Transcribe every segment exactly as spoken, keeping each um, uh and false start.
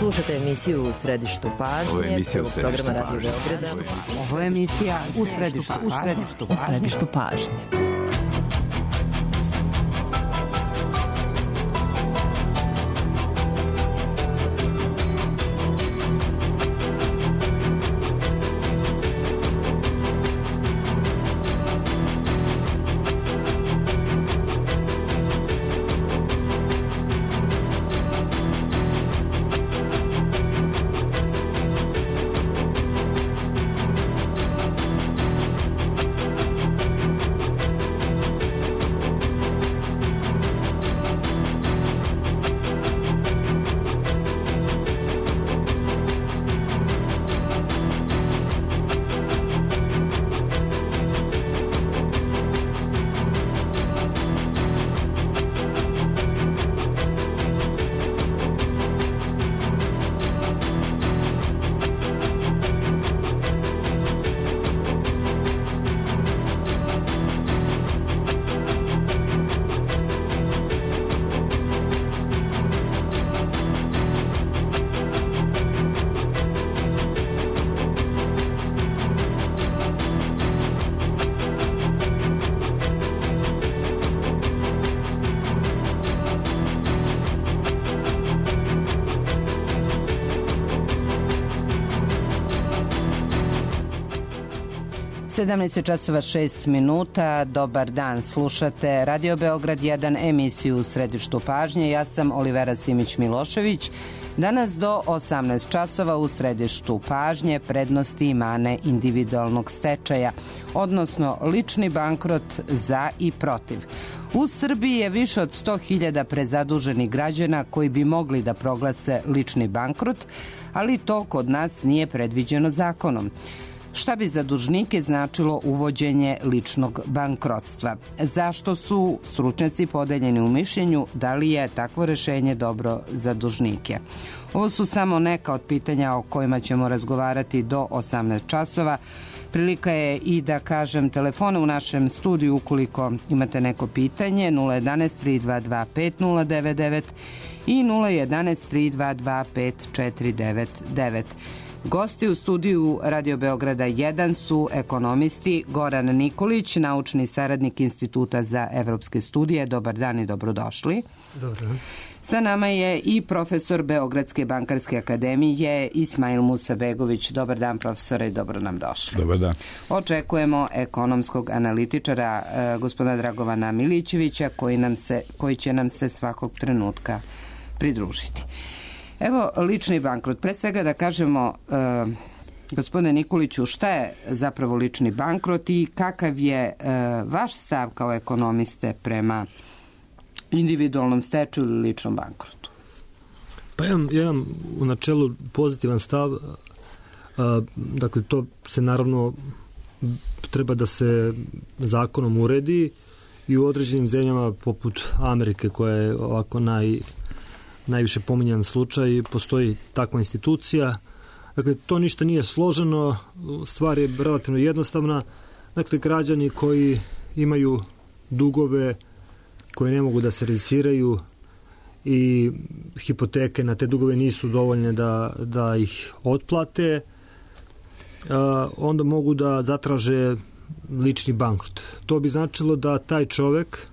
Slušate emisiju U središtu pažnje. Ovo je emisija U središtu programa pažnje. Radio Beograda. Ovo je emisija U središtu, u središtu, u središtu pažnje. sedamnaest časova šest minuta, dobar dan, slušate Radio Beograd jedan, emisiju U središtu pažnje. Ja sam Olivera Simić-Milošević. Danas do osamnaest časova u središtu pažnje prednosti i mane individualnog stečaja, odnosno lični bankrot za i protiv. U Srbiji je više od sto hiljada prezaduženih građana koji bi mogli da proglase lični bankrot, ali to kod nas nije predviđeno zakonom. Šta bi za dužnike značilo uvođenje ličnog bankrotstva? Zašto su stručnjaci podeljeni u mišljenju da li je takvo rešenje dobro za dužnike? Ovo su samo neka od pitanja o kojima ćemo razgovarati do osamnaest časova. Prilika je i da kažem telefone u našem studiju ukoliko imate neko pitanje nula jedanaest tri dva dva pet nula devet devet i nula jedanaest tri dva dva pet četiri devet devet. Gosti u studiju Radio Beograda jedan su ekonomisti Goran Nikolić, naučni saradnik Instituta za evropske studije. Dobar dan i dobrodošli. Dobar dan. Sa nama je i profesor Beogradske bankarske akademije Ismail Musabegović. Dobar dan, profesore, i dobro nam došli. Dobar dan. Očekujemo ekonomskog analitičara eh, gospodina Dragovana Milićevića koji, nam se, koji će nam se svakog trenutka pridružiti. Evo, lični bankrot. Pre svega da kažemo, e, gospodine Nikoliću, šta je zapravo lični bankrot i kakav je e, vaš stav kao ekonomiste prema individualnom stečaju ili ličnom bankrotu? Pa ja, ja imam u načelu pozitivan stav. A, dakle, to se naravno treba da se zakonom uredi i u određenim zemljama poput Amerike, koja je ovako naj... najviše pominjan slučaj, postoji takva institucija. Dakle, to ništa nije složeno, stvar je relativno jednostavna. Dakle, građani koji imaju dugove koje ne mogu da se servisiraju i hipoteke na te dugove nisu dovoljne da, da ih otplate, onda mogu da zatraže lični bankrot. To bi značilo da taj čovek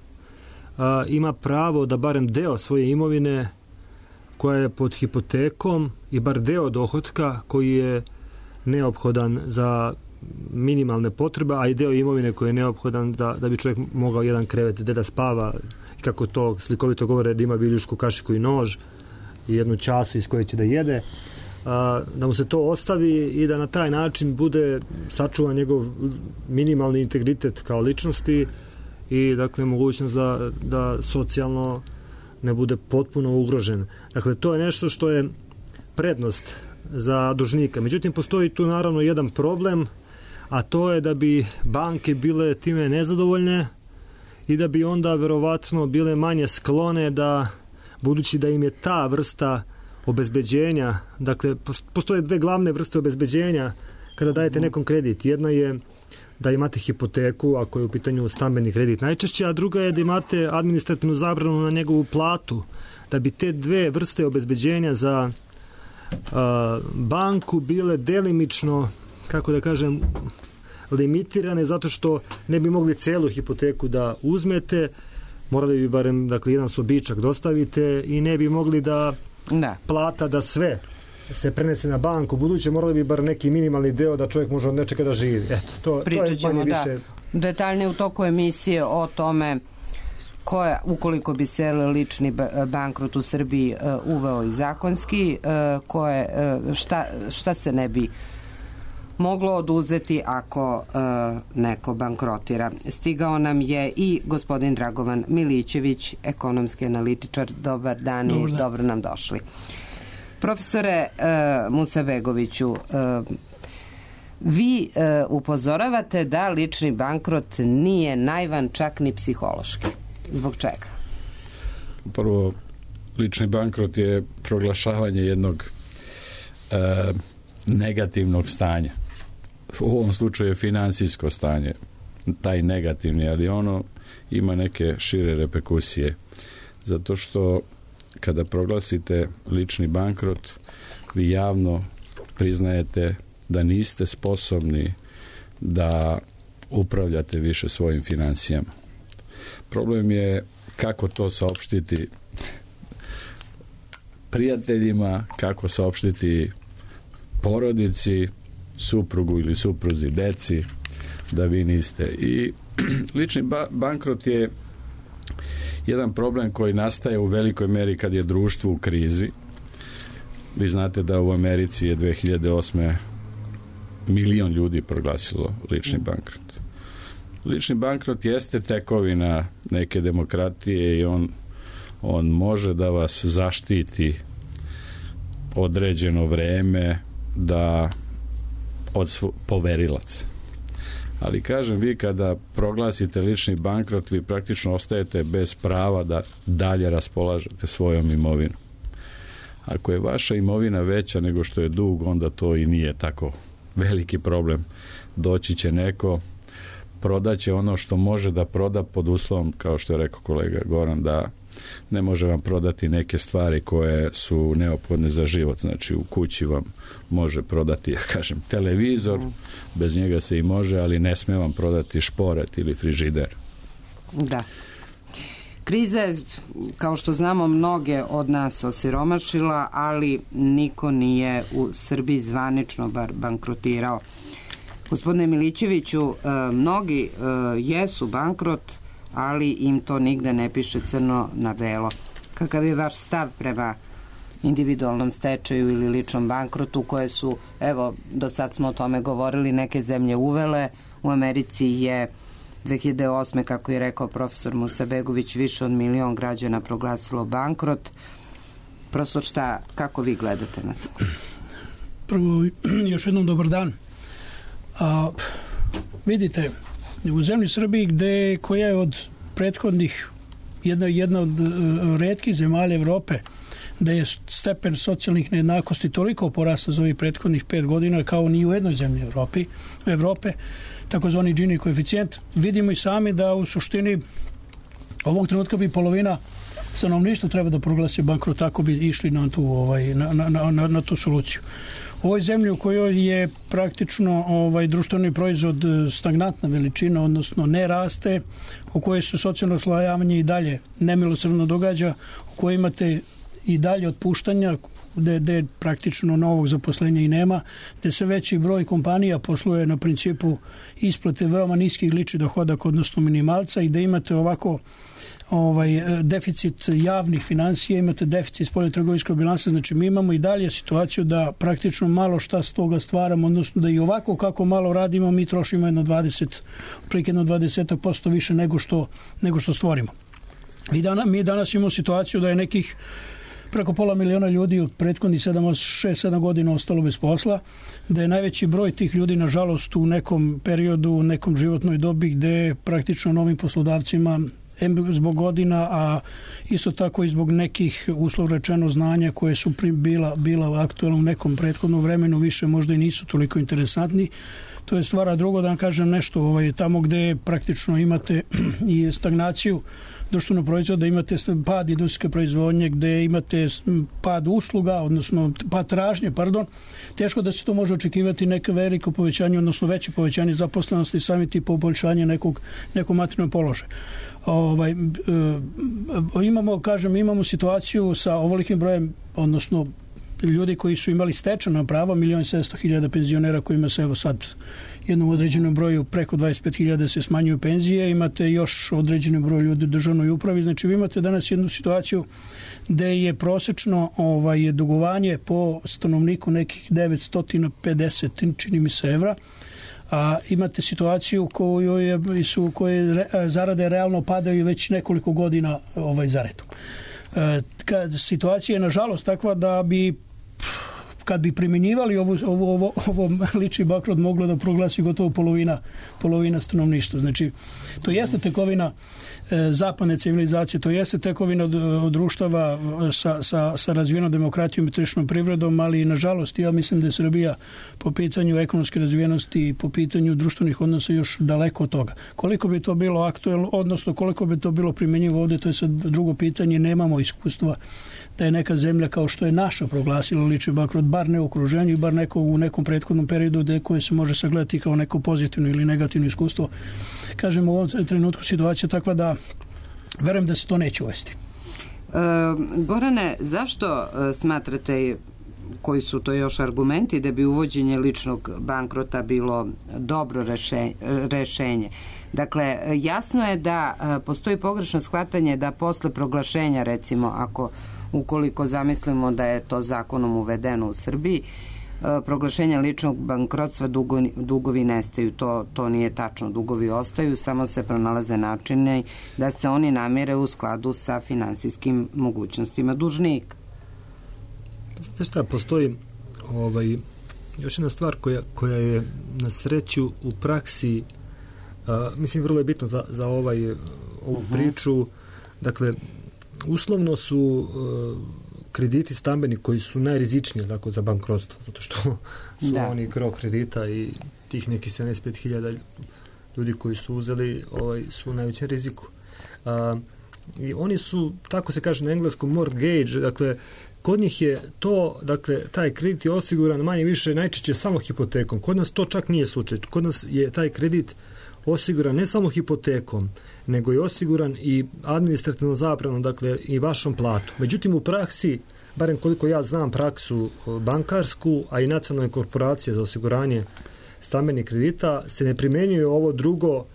ima pravo da barem deo svoje imovine koja je pod hipotekom i bar deo dohotka koji je neophodan za minimalne potrebe, a i deo imovine koji je neophodan da, da bi čovjek mogao jedan krevet gde da spava, kako to slikovito govore, da ima viljušku, kašiku i nož i jednu času iz koje će da jede, a, da mu se to ostavi i da na taj način bude sačuvan njegov minimalni integritet kao ličnosti i dakle mogućnost da, da socijalno ne bude potpuno ugrožen. Dakle, to je nešto što je prednost za dužnika. Međutim, postoji tu naravno jedan problem, a to je da bi banke bile time nezadovoljne i da bi onda verovatno bile manje sklone da, budući da im je ta vrsta obezbeđenja, dakle, postoje dve glavne vrste obezbeđenja kada dajete nekom kredit. Jedna je da imate hipoteku, ako je u pitanju stambeni kredit najčešće, a druga je da imate administrativnu zabranu na njegovu platu. Da bi te dve vrste obezbeđenja za banku bile delimično, kako da kažem, limitirane zato što ne bi mogli celu hipoteku da uzmete, morali bi barem, dakle, jedan sobičak dostavite i ne bi mogli da, da. plata da sve se prenese na banku. Buduće morali bi bar neki minimalni deo da čovjek može od nečega da živi. Eto, to, Pričat to je ćemo, manje da. više... Detaljnije u toku emisije o tome koja, ukoliko bi se lični bankrot u Srbiji uh, uveo i zakonski, uh, koje, uh, šta, šta se ne bi moglo oduzeti ako uh, neko bankrotira. Stigao nam je i gospodin Dragovan Milićević, ekonomski analitičar. Dobar dan i dobro nam došli. Profesore uh, Musabegoviću, uh, vi uh, upozoravate da lični bankrot nije naivan čak ni psihološki. Zbog čega? Prvo, lični bankrot je proglašavanje jednog uh, negativnog stanja. U ovom slučaju je finansijsko stanje, taj negativni, ali ono ima neke šire reperkusije. Zato što kada proglasite lični bankrot, vi javno priznajete da niste sposobni da upravljate više svojim financijama. Problem je kako to saopštiti prijateljima, kako saopštiti porodici, suprugu ili supruzi, deci, da vi niste. I lični ba- bankrot je jedan problem koji nastaje u velikoj meri kad je društvo u krizi. Vi znate da u Americi je dve hiljade osme milion ljudi proglasilo lični bankrot. Lični bankrot jeste tekovina neke demokratije i on, on može da vas zaštiti određeno vreme da od svo, poverilaca. Ali kažem, vi kada proglasite lični bankrot, vi praktično ostajete bez prava da dalje raspolažete svojom imovinom. Ako je vaša imovina veća nego što je dug, onda to i nije tako veliki problem. Doći će neko, prodaće ono što može da proda pod uslovom, kao što je rekao kolega Goran, da ne može vam prodati neke stvari koje su neophodne za život. Znači, u kući vam može prodati, ja kažem, televizor, bez njega se i može, ali ne sme vam prodati šporet ili frižider. Da. Kriza je, kao što znamo, mnoge od nas osiromašila, ali niko nije u Srbiji zvanično bar bankrotirao. Gospodine Milićeviću, mnogi jesu bankrot, ali im to nigde ne piše crno na belo. Kakav je vaš stav prema individualnom stečaju ili ličnom bankrotu koje su, evo, do sad smo o tome govorili, neke zemlje uvele? U Americi je dve hiljade osme, kako je rekao profesor Musabegović, više od milion građana proglasilo bankrot. Prosto šta, kako vi gledate na to? Prvo, još jednom dobar dan. A, vidite, u zemlji Srbiji gde, koja je od prethodnih jedna, jedna od uh, retkih zemalja Evrope da je stepen socijalnih nejednakosti toliko porastao za ovih prethodnih pet godina kao ni u jednoj zemlji Evropi, u Evrope, takozvani Gini koeficijent, vidimo i sami da u suštini ovog trenutka bi polovina stanovništva treba da proglasi bankrot, tako bi išli na tu, ovaj, na, na, na, na tu soluciju. U ovoj zemlji u kojoj je praktično ovaj društveni proizvod stagnantna veličina, odnosno ne raste, u kojoj se socijalno slojavanje i dalje nemilosrdno događa, u kojoj imate i dalje otpuštanja, gde, gde praktično novog zaposlenja i nema, gde se veći broj kompanija posluje na principu isplate veoma niskih ličnih dohodaka, odnosno minimalca, i gde imate ovako ovaj deficit javnih finansija, imate deficit spoljnotrgovinskog bilansa, znači mi imamo i dalje situaciju da praktično malo šta s toga stvaramo, odnosno da i ovako kako malo radimo, mi trošimo jedno dvadeset, otprilike jedno dvadeset posto više nego što, nego što stvorimo. Mi danas, mi danas imamo situaciju da je nekih preko pola miliona ljudi od prethodnih sedam, šest, sedam godina ostalo bez posla, da je najveći broj tih ljudi, nažalost, u nekom periodu, u nekom životnoj dobi gde praktično novim poslodavcima zbog godina, a isto tako i zbog nekih, uslov rečeno, znanja koje su bila, bila aktualna u nekom prethodnom vremenu, više možda i nisu toliko interesantni. To je stvar, a drugo da vam kažem nešto, ovaj, tamo gde praktično imate i stagnaciju društvenog proizvoda, imate pad industrijske proizvodnje, gde imate pad usluga, odnosno pad tražnje, pardon, teško da se to može očekivati neke veliko povećanje, odnosno veće povećanje zaposlenosti i sami ti poboljšanje nekog, nekog materijalnog položaja. Ovaj, e, imamo, kažem, imamo situaciju sa ovolikim brojem, odnosno ljudi koji su imali stečena prava, milion sedamsto hiljada penzionera kojima se evo sad jednom određenom broju preko dvadeset pet hiljada se smanjuju penzije, imate još određeni broj ljudi u državnoj upravi, znači vi imate danas jednu situaciju gde je prosečno ovaj, dugovanje po stanovniku nekih devetsto pedeset, čini mi se, evra, a imate situaciju kojoj su koje zarade realno padaju već nekoliko godina ovaj, za redom. E, situacija je nažalost takva da bi kad bi primjenjivali ovo, ovo, ovo, ovo lični bankrot moglo da proglasi gotovo polovina, polovina stanovništva. Znači, to jeste tekovina e, zapadne civilizacije, to jeste tekovina od, od društava sa, sa, sa razvijenom demokratijom i tržišnom privredom, ali nažalost ja mislim da je Srbija po pitanju ekonomske razvijenosti i po pitanju društvenih odnosa još daleko od toga. Koliko bi to bilo aktuelno, odnosno koliko bi to bilo primjenjivo ovdje, to je sad drugo pitanje, nemamo iskustva da je neka zemlja kao što je naša proglasila lični bankrot, bar ne u okruženju, bar neko u nekom prethodnom periodu gde koje se može sagledati kao neko pozitivno ili negativno iskustvo. Kažem, u ovom trenutku situacija takva da verujem da se to neće uvesti. E, Gorane, zašto smatrate, koji su to još argumenti, da bi uvođenje ličnog bankrota bilo dobro rešenje? Dakle, jasno je da postoji pogrešno shvatanje da posle proglašenja, recimo, ako ukoliko zamislimo da je to zakonom uvedeno u Srbiji, proglašenja ličnog bankrotstva dugovi, dugovi nestaju. To, to nije tačno. Dugovi ostaju, samo se pronalaze načine da se oni namire u skladu sa finansijskim mogućnostima dužnika. Znate šta, postoji ovaj, još jedna stvar koja, koja je na sreću u praksi, a, mislim vrlo je bitno za, za ovaj, ovu uh-huh. priču. Dakle, uslovno su e, krediti stambeni koji su najrizičniji tako, za bankrotstvo, zato što su da. oni gro kredita i tih nekih sedamdeset pet hiljada ljudi koji su uzeli ovaj, su u najvećem riziku. A, i oni su, tako se kaže na engleskom, mortgage, dakle, kod njih je to, dakle, taj kredit je osiguran manje više najčešće samo hipotekom. Kod nas to čak nije slučaj. Kod nas je taj kredit osiguran ne samo hipotekom, nego je osiguran i administrativno zapravno, dakle, i vašom platu. Međutim, u praksi, barem koliko ja znam praksu bankarsku, a i nacionalne korporacije za osiguranje stambenih kredita, se ne primjenjuje ovo drugo,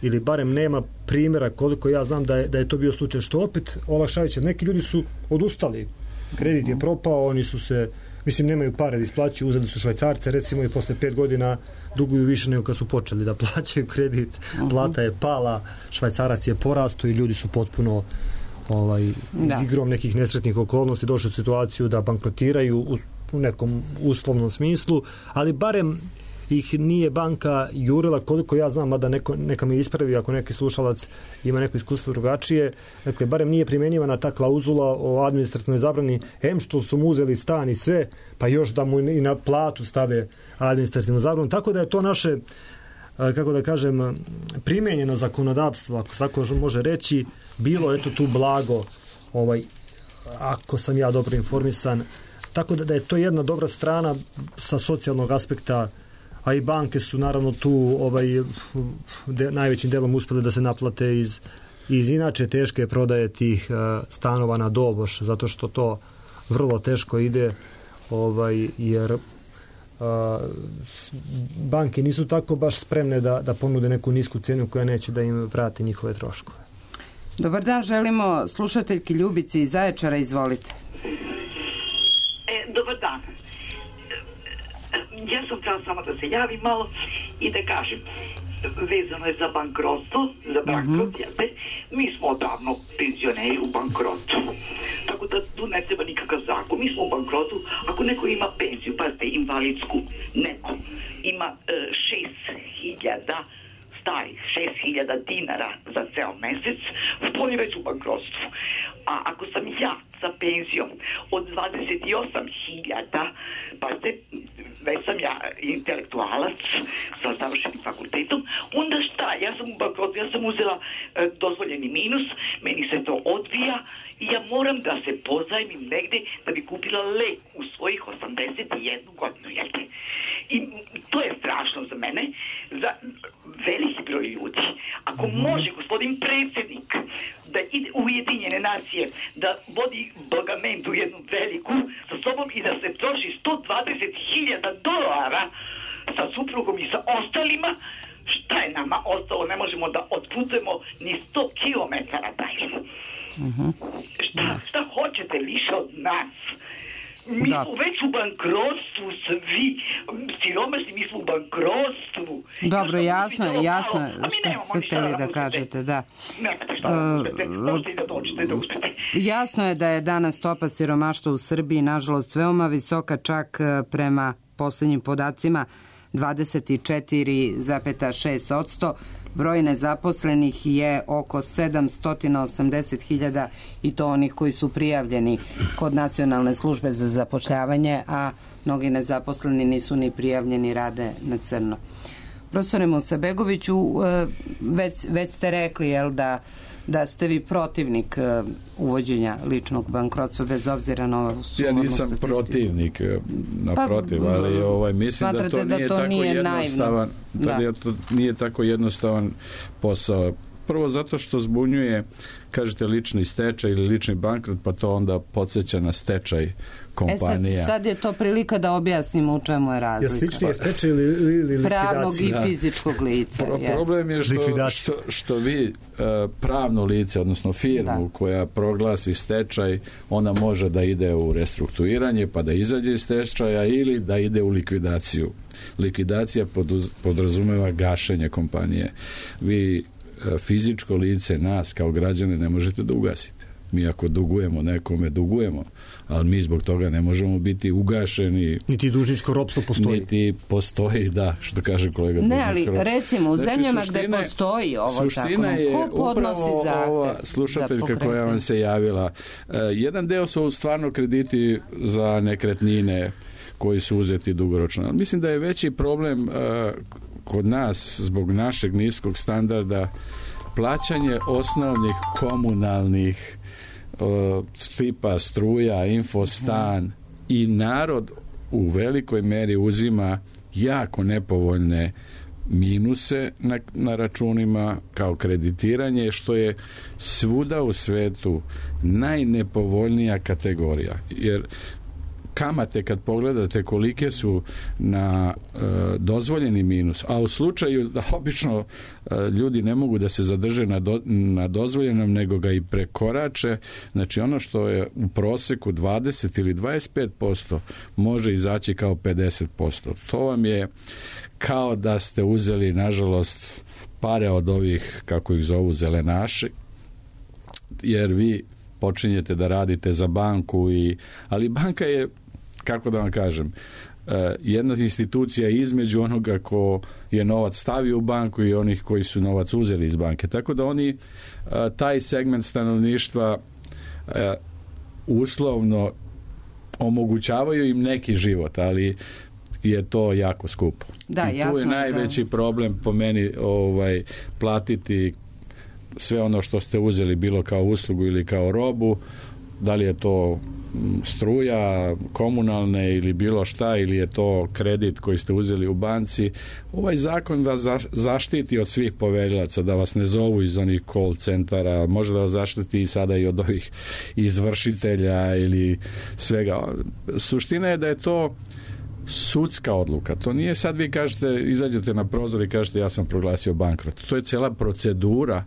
ili barem nema primjera koliko ja znam da je, da je to bio slučaj, što opet olakšavajuće. Neki ljudi su odustali, kredit je propao, oni su se, mislim, nemaju pare da isplaćuju, uzeli su Švajcarce, recimo, i posle pet godina duguju više nego kad su počeli da plaćaju kredit, plata je pala, Švajcarac je porasto i ljudi su potpuno ovaj, da. igrom nekih nesretnih okolnosti došli u situaciju da bankrotiraju u, u nekom uslovnom smislu, ali barem ih nije banka jurila, koliko ja znam, mada neko, neka mi ispravi ako neki slušalac ima neko iskustvo drugačije, dakle, barem nije primjenjivana ta klauzula o administrativnoj zabrani, em što su mu uzeli stan i sve, pa još da mu i na platu stave administrativnu zabranu, tako da je to naše, kako da kažem, primenjeno zakonodavstvo, ako se tako može reći, bilo eto tu blago, ovaj, ako sam ja dobro informisan, tako da, da je to jedna dobra strana sa socijalnog aspekta, a i banke su naravno tu ovaj, de, najvećim delom uspjeli da se naplate iz, iz inače teške prodaje tih uh, stanova na doboš, zato što to vrlo teško ide, ovaj, jer uh, banke nisu tako baš spremne da, da ponude neku nisku cenu koja neće da im vrati njihove troškove. Dobar dan, želimo slušateljki Ljubici iz Zaječara, izvolite. E, dobar dan. Ja sam htjela samo da se javim malo i da kažem, vezano je za bankrotstvo, za bankrot, mm-hmm. jeste, mi smo odavno penzioneri u bankrotu. Tako da tu ne treba nikakav zakon. Mi smo u bankrotu, ako neko ima penziju, pazite, invalidsku, neko ima e, šest hiljada, stari, šest hiljada dinara za ceo mesec, on je već u bankrotstvu. A ako sam ja sa penzijom od dvadeset osam hiljada, pa ste, već sam ja intelektualac sa završenim fakultetom, onda šta? Ja sam u bankrotu, ja sam uzela e, dozvoljeni minus, meni se to odvija i ja moram da se pozajmim negde da bi kupila lek u svojih osamdeset jednu godinu, jel te? I to je strašno za mene, za veliki broj ljudi. Ako može gospodin predsjednik da ide u Ujedinjene nacije, da vodi bogamentu jednu veliku sa sobom i da se troši sto dvadeset hiljada dolara sa suprugom i sa ostalima, šta je nama ostalo? Ne možemo da otputujemo ni sto kilometara dalje. Uh-huh. Šta, šta hoćete više od nas? Mi da. smo već u bankrotstvu svi, siromašni, mi smo u bankrotstvu. Dobro, jasno je, jasno je što ste htjeli da kažete, da. Nemate šta da uspete, možete i da dođete da uspete. Jasno je da je danas stopa siromaštva u Srbiji, nažalost, veoma visoka, čak prema posljednjim podacima dvadeset četiri zarez šest posto. Broj nezaposlenih je oko sedamsto osamdeset hiljada i to onih koji su prijavljeni kod Nacionalne službe za zapošljavanje, a mnogi nezaposleni nisu ni prijavljeni, rade na crno. Profesore Musabegoviću, već, već ste rekli, jel, da da ste vi protivnik uh, uvođenja ličnog bankrotstva bez obzira na ovu sumornu statistiku. Ja nisam protivnik, naprotiv, pa, ali ovaj, mislim da to nije, da to tako nije jednostavan, da. Da to nije tako jednostavan posao. Prvo zato što zbunjuje, kažete, lični stečaj ili lični bankrot, pa to onda podsjeća na stečaj kompanija. E sad, sad je to prilika da objasnimo u čemu je razlika. Je slični je stečaj ili, ili likvidacija? Pravnog i fizičkog lica. Pro, problem je što, što, što vi uh, pravno lice, odnosno firmu da. koja proglasi stečaj, ona može da ide u restrukturiranje pa da izađe iz stečaja ili da ide u likvidaciju. Likvidacija poduz, podrazumeva gašenje kompanije. Vi uh, fizičko lice, nas kao građane, ne možete da ugasite. Mi ako dugujemo nekome, dugujemo, ali mi zbog toga ne možemo biti ugašeni. Niti dužničko ropstvo postoji. Niti postoji, da, što kaže kolega. Ne, ali recimo u znači, zemljama suštine, gde postoji ovo zakonom, ko podnosi zahtev? Slušateljka koja vam se javila, uh, jedan deo su stvarno krediti za nekretnine koji su uzeti dugoročno. Mislim da je veći problem uh, kod nas zbog našeg niskog standarda plaćanje osnovnih komunalnih uh, tipa struja, infostan mm. i narod u velikoj meri uzima jako nepovoljne minuse na, na računima kao kreditiranje, što je svuda u svetu najnepovoljnija kategorija. Jer kamate kad pogledate kolike su na e, dozvoljeni minus, a u slučaju da obično e, ljudi ne mogu da se zadrže na, do, na dozvoljenom, nego ga i prekorače, znači ono što je u proseku dvadeset ili dvadeset pet posto može izaći kao pedeset posto. To vam je kao da ste uzeli, nažalost, pare od ovih, kako ih zovu, zelenaši, jer vi počinjete da radite za banku, i, ali banka je, kako da vam kažem, jedna institucija između onoga ko je novac stavio u banku i onih koji su novac uzeli iz banke. Tako da oni taj segment stanovništva uslovno omogućavaju im neki život, ali je to jako skupo. Da, i tu je najveći da. problem po meni ovaj, platiti sve ono što ste uzeli, bilo kao uslugu ili kao robu, da li je to struja, komunalne ili bilo šta, ili je to kredit koji ste uzeli u banci. Ovaj zakon vas zaštiti od svih poverilaca, da vas ne zovu iz onih call centara, može da vas zaštiti i sada i od ovih izvršitelja ili svega. Suština je da je to sudska odluka. To nije sad vi kažete, izađete na prozor i kažete ja sam proglasio bankrot. To je cijela procedura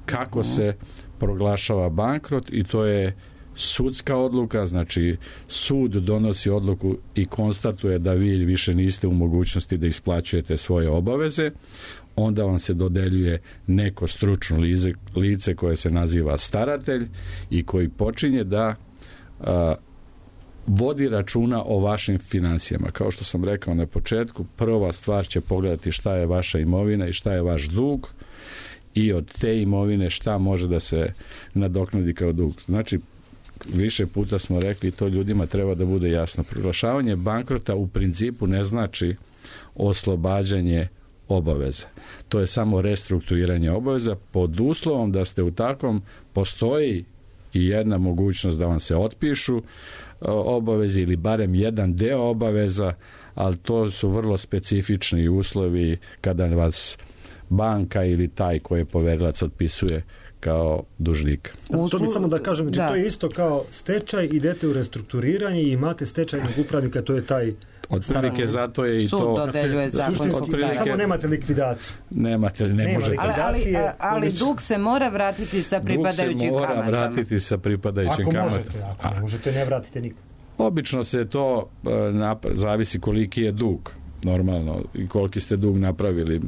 kako se proglašava bankrot i to je sudska odluka, znači sud donosi odluku i konstatuje da vi više niste u mogućnosti da isplaćujete svoje obaveze, onda vam se dodeljuje neko stručno lice, lice koje se naziva staratelj i koji počinje da a, vodi računa o vašim financijama. Kao što sam rekao na početku, prva stvar će pogledati šta je vaša imovina i šta je vaš dug i od te imovine šta može da se nadoknadi kao dug. Znači, više puta smo rekli, to ljudima treba da bude jasno. Proglašavanje bankrota u principu ne znači oslobađanje obaveza. To je samo restrukturiranje obaveza pod uslovom da ste u takvom, postoji i jedna mogućnost da vam se otpišu obaveze ili barem jedan deo obaveza, ali to su vrlo specifični uslovi kada vas banka ili taj koji je poverilac otpisuje kao dužnik. To bi samo da kažem, znači da. To je isto kao stečaj, idete u restrukturiranje i imate stečajnog upravnika, to je taj otprilike, zato je i sud to dodeljuje zakonskog stanja. Samo nemate likvidaciju. Nemate, ne Nema možete. Ali, ali, ali dug se mora vratiti sa pripadajućim kamatama. Dug se mora kamatama. vratiti sa pripadajućim ako kamatama. Možete, ako ne možete, ne vratite nikad. Obično se to napra- zavisi koliki je dug, normalno, i koliki ste dug napravili.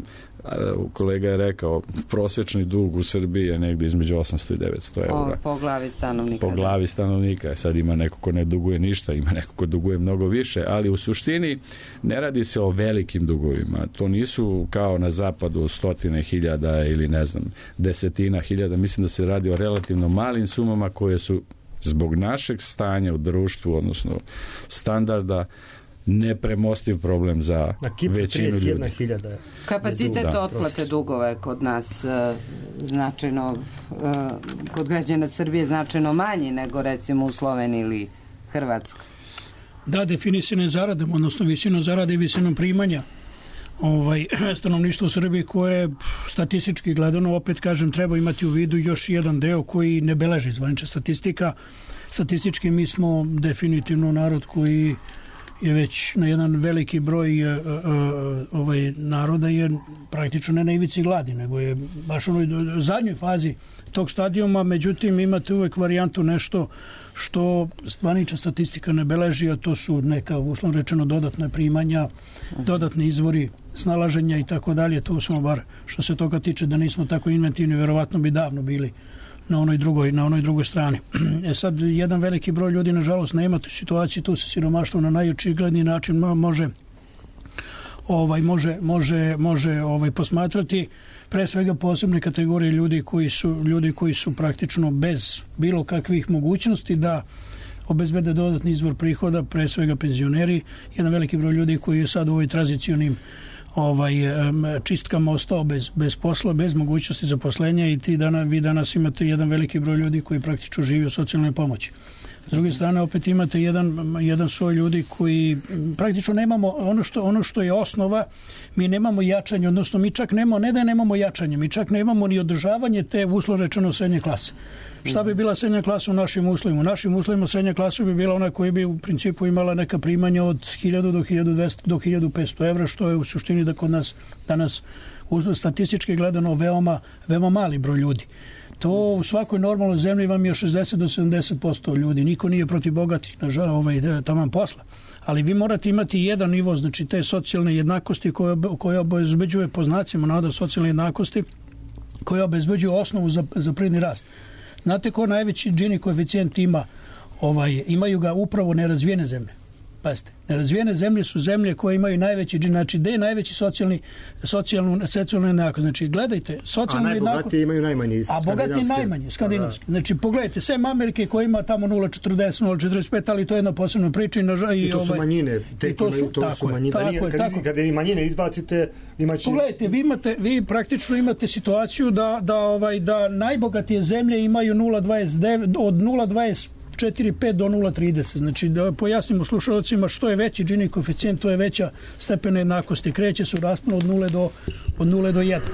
Kolega je rekao, prosječni dug u Srbiji je negdje između osamsto i devetsto eura. O, po glavi stanovnika. Po glavi stanovnika. Sad ima neko ko ne duguje ništa, ima neko ko duguje mnogo više, ali u suštini ne radi se o velikim dugovima. To nisu kao na zapadu stotine hiljada ili ne znam, desetina hiljada. Mislim da se radi o relativno malim sumama koje su zbog našeg stanja u društvu, odnosno standarda, nepremostiv problem za većinu ljudi. Kapacitet da. otplate dugova je kod nas uh, značajno, uh, kod građana Srbije značajno manji nego recimo u Sloveniji ili Hrvatskoj. Da, definisane zaradom, odnosno visinom zarade i visinom primanja ovaj, stanovništvo u Srbiji koje statistički gledano, opet kažem, treba imati u vidu još jedan deo koji ne beleži zvanična statistika. Statistički mi smo definitivno narod koji je već na jedan veliki broj uh, uh, ovaj naroda je praktično ne na ivici gladi, nego je baš u onoj zadnjoj fazi tog stadijuma. Međutim, imate uvek varijantu nešto što zvanična statistika ne beleži, a to su neka, uslovno rečeno, dodatna primanja, dodatni izvori snalaženja i tako dalje. To smo bar, što se toga tiče, da nismo tako inventivni, verovatno bi davno bili na onoj drugoj, na onoj drugoj strani. E sad, jedan veliki broj ljudi, nažalost, nema tu situaciju, tu se siromaštvo na najočigledniji način može ovaj može može može ovaj posmatrati, pre svega posebne kategorije ljudi koji su ljudi koji su praktično bez bilo kakvih mogućnosti da obezbede dodatni izvor prihoda, pre svega penzioneri, jedan veliki broj ljudi koji je sad u ovoj tranzicionim ovaj čistkama ostao bez, bez posla, bez mogućnosti zaposlenja i ti dana, vi danas imate jedan veliki broj ljudi koji praktično živi od socijalne pomoći. S druge strane, opet imate jedan, jedan svoj ljudi koji praktično nemamo, ono što, ono što je osnova, mi nemamo jačanje, odnosno mi čak nemamo, ne da nemamo jačanje, mi čak nemamo ni održavanje te uslovno rečeno srednje klase. Šta bi bila srednja klasa u našim uslovima? U našim uslovima srednja klasa bi bila ona koja bi u principu imala neka primanja od hiljadu do hiljadu dvesta do hiljadu petsto evra, što je u suštini da kod nas danas statistički gledano veoma, veoma mali broj ljudi. To u svakoj normalnoj zemlji vam je šezdeset do sedamdeset posto ljudi. Niko nije protiv bogatih, nažalost, ovaj, taman posla. Ali vi morate imati jedan nivo, znači te socijalne jednakosti koje, koje obezbeđuje po znacima navoda socijalne jednakosti, koje obezbeđuju osnovu za, za privredni rast. Znate ko najveći Gini koeficijent ima? Ovaj, imaju ga upravo nerazvijene zemlje. Pazite, nerazvijene zemlje su zemlje koje imaju najveći Gini, znači gde je najveći socijalni, socijalnu, socijalnu jednakost. Znači, gledajte, socijalnu jednakost... A najbogatiji imaju najmanji. A bogati najmanje, skandinavski. Znači, pogledajte, sem Amerike koja ima tamo nula zarez četrdeset, nula zarez četrdeset pet, ali to je jedna posebna priča. I, I, I to su ovaj, manjine. Tek to su, to su manjine. Tako je, kad, tako. Kada i manjine izbacite, imaći... Pogledajte, vi, imate, vi praktično imate situaciju da, da, ovaj, da najbogatije zemlje imaju nula zarez dvadeset devet, od nula zarez dvadeset četiri pet do nula zarez trideset. Znači, da pojasnimo slušalcima, što je veći Gini koeficijent, to je veća stepena jednakosti. Kreće se u rasponu od nule do, od nule do jedan.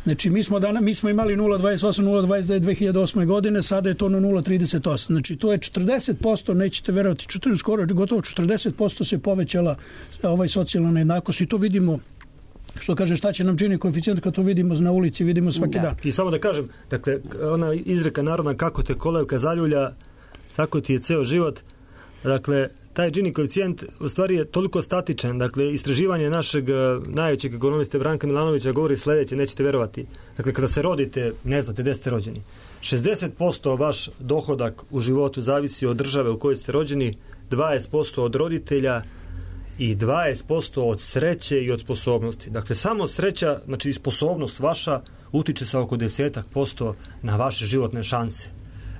Znači, mi smo, dana, mi smo imali nula zarez dvadeset osam, nula zarez dvadeset devet dve hiljade osme godine, sada je to na nula zarez trideset osam. Znači, to je četrdeset posto, nećete verovati, četrdeset, skoro gotovo četrdeset posto se povećala ovaj socijalna nejednakost i to vidimo. Što kaže, šta će nam Gini koeficijent kad to vidimo na ulici, vidimo svaki da. dan. I samo da kažem, dakle, ona izreka narodna, kako te kolevka zaljulja, tako ti je ceo život. Dakle, taj Gini koeficijent u stvari je toliko statičan. Dakle, istraživanje našeg najvećeg ekonomiste Branka Milanovića govori sledeće, nećete verovati. Dakle, kada se rodite, ne znate gde ste rođeni. šezdeset posto vaš dohodak u životu zavisi od države u kojoj ste rođeni, dvadeset posto od roditelja i dvadeset posto od sreće i od sposobnosti. Dakle, samo sreća, znači sposobnost vaša utiče sa oko deset posto na vaše životne šanse.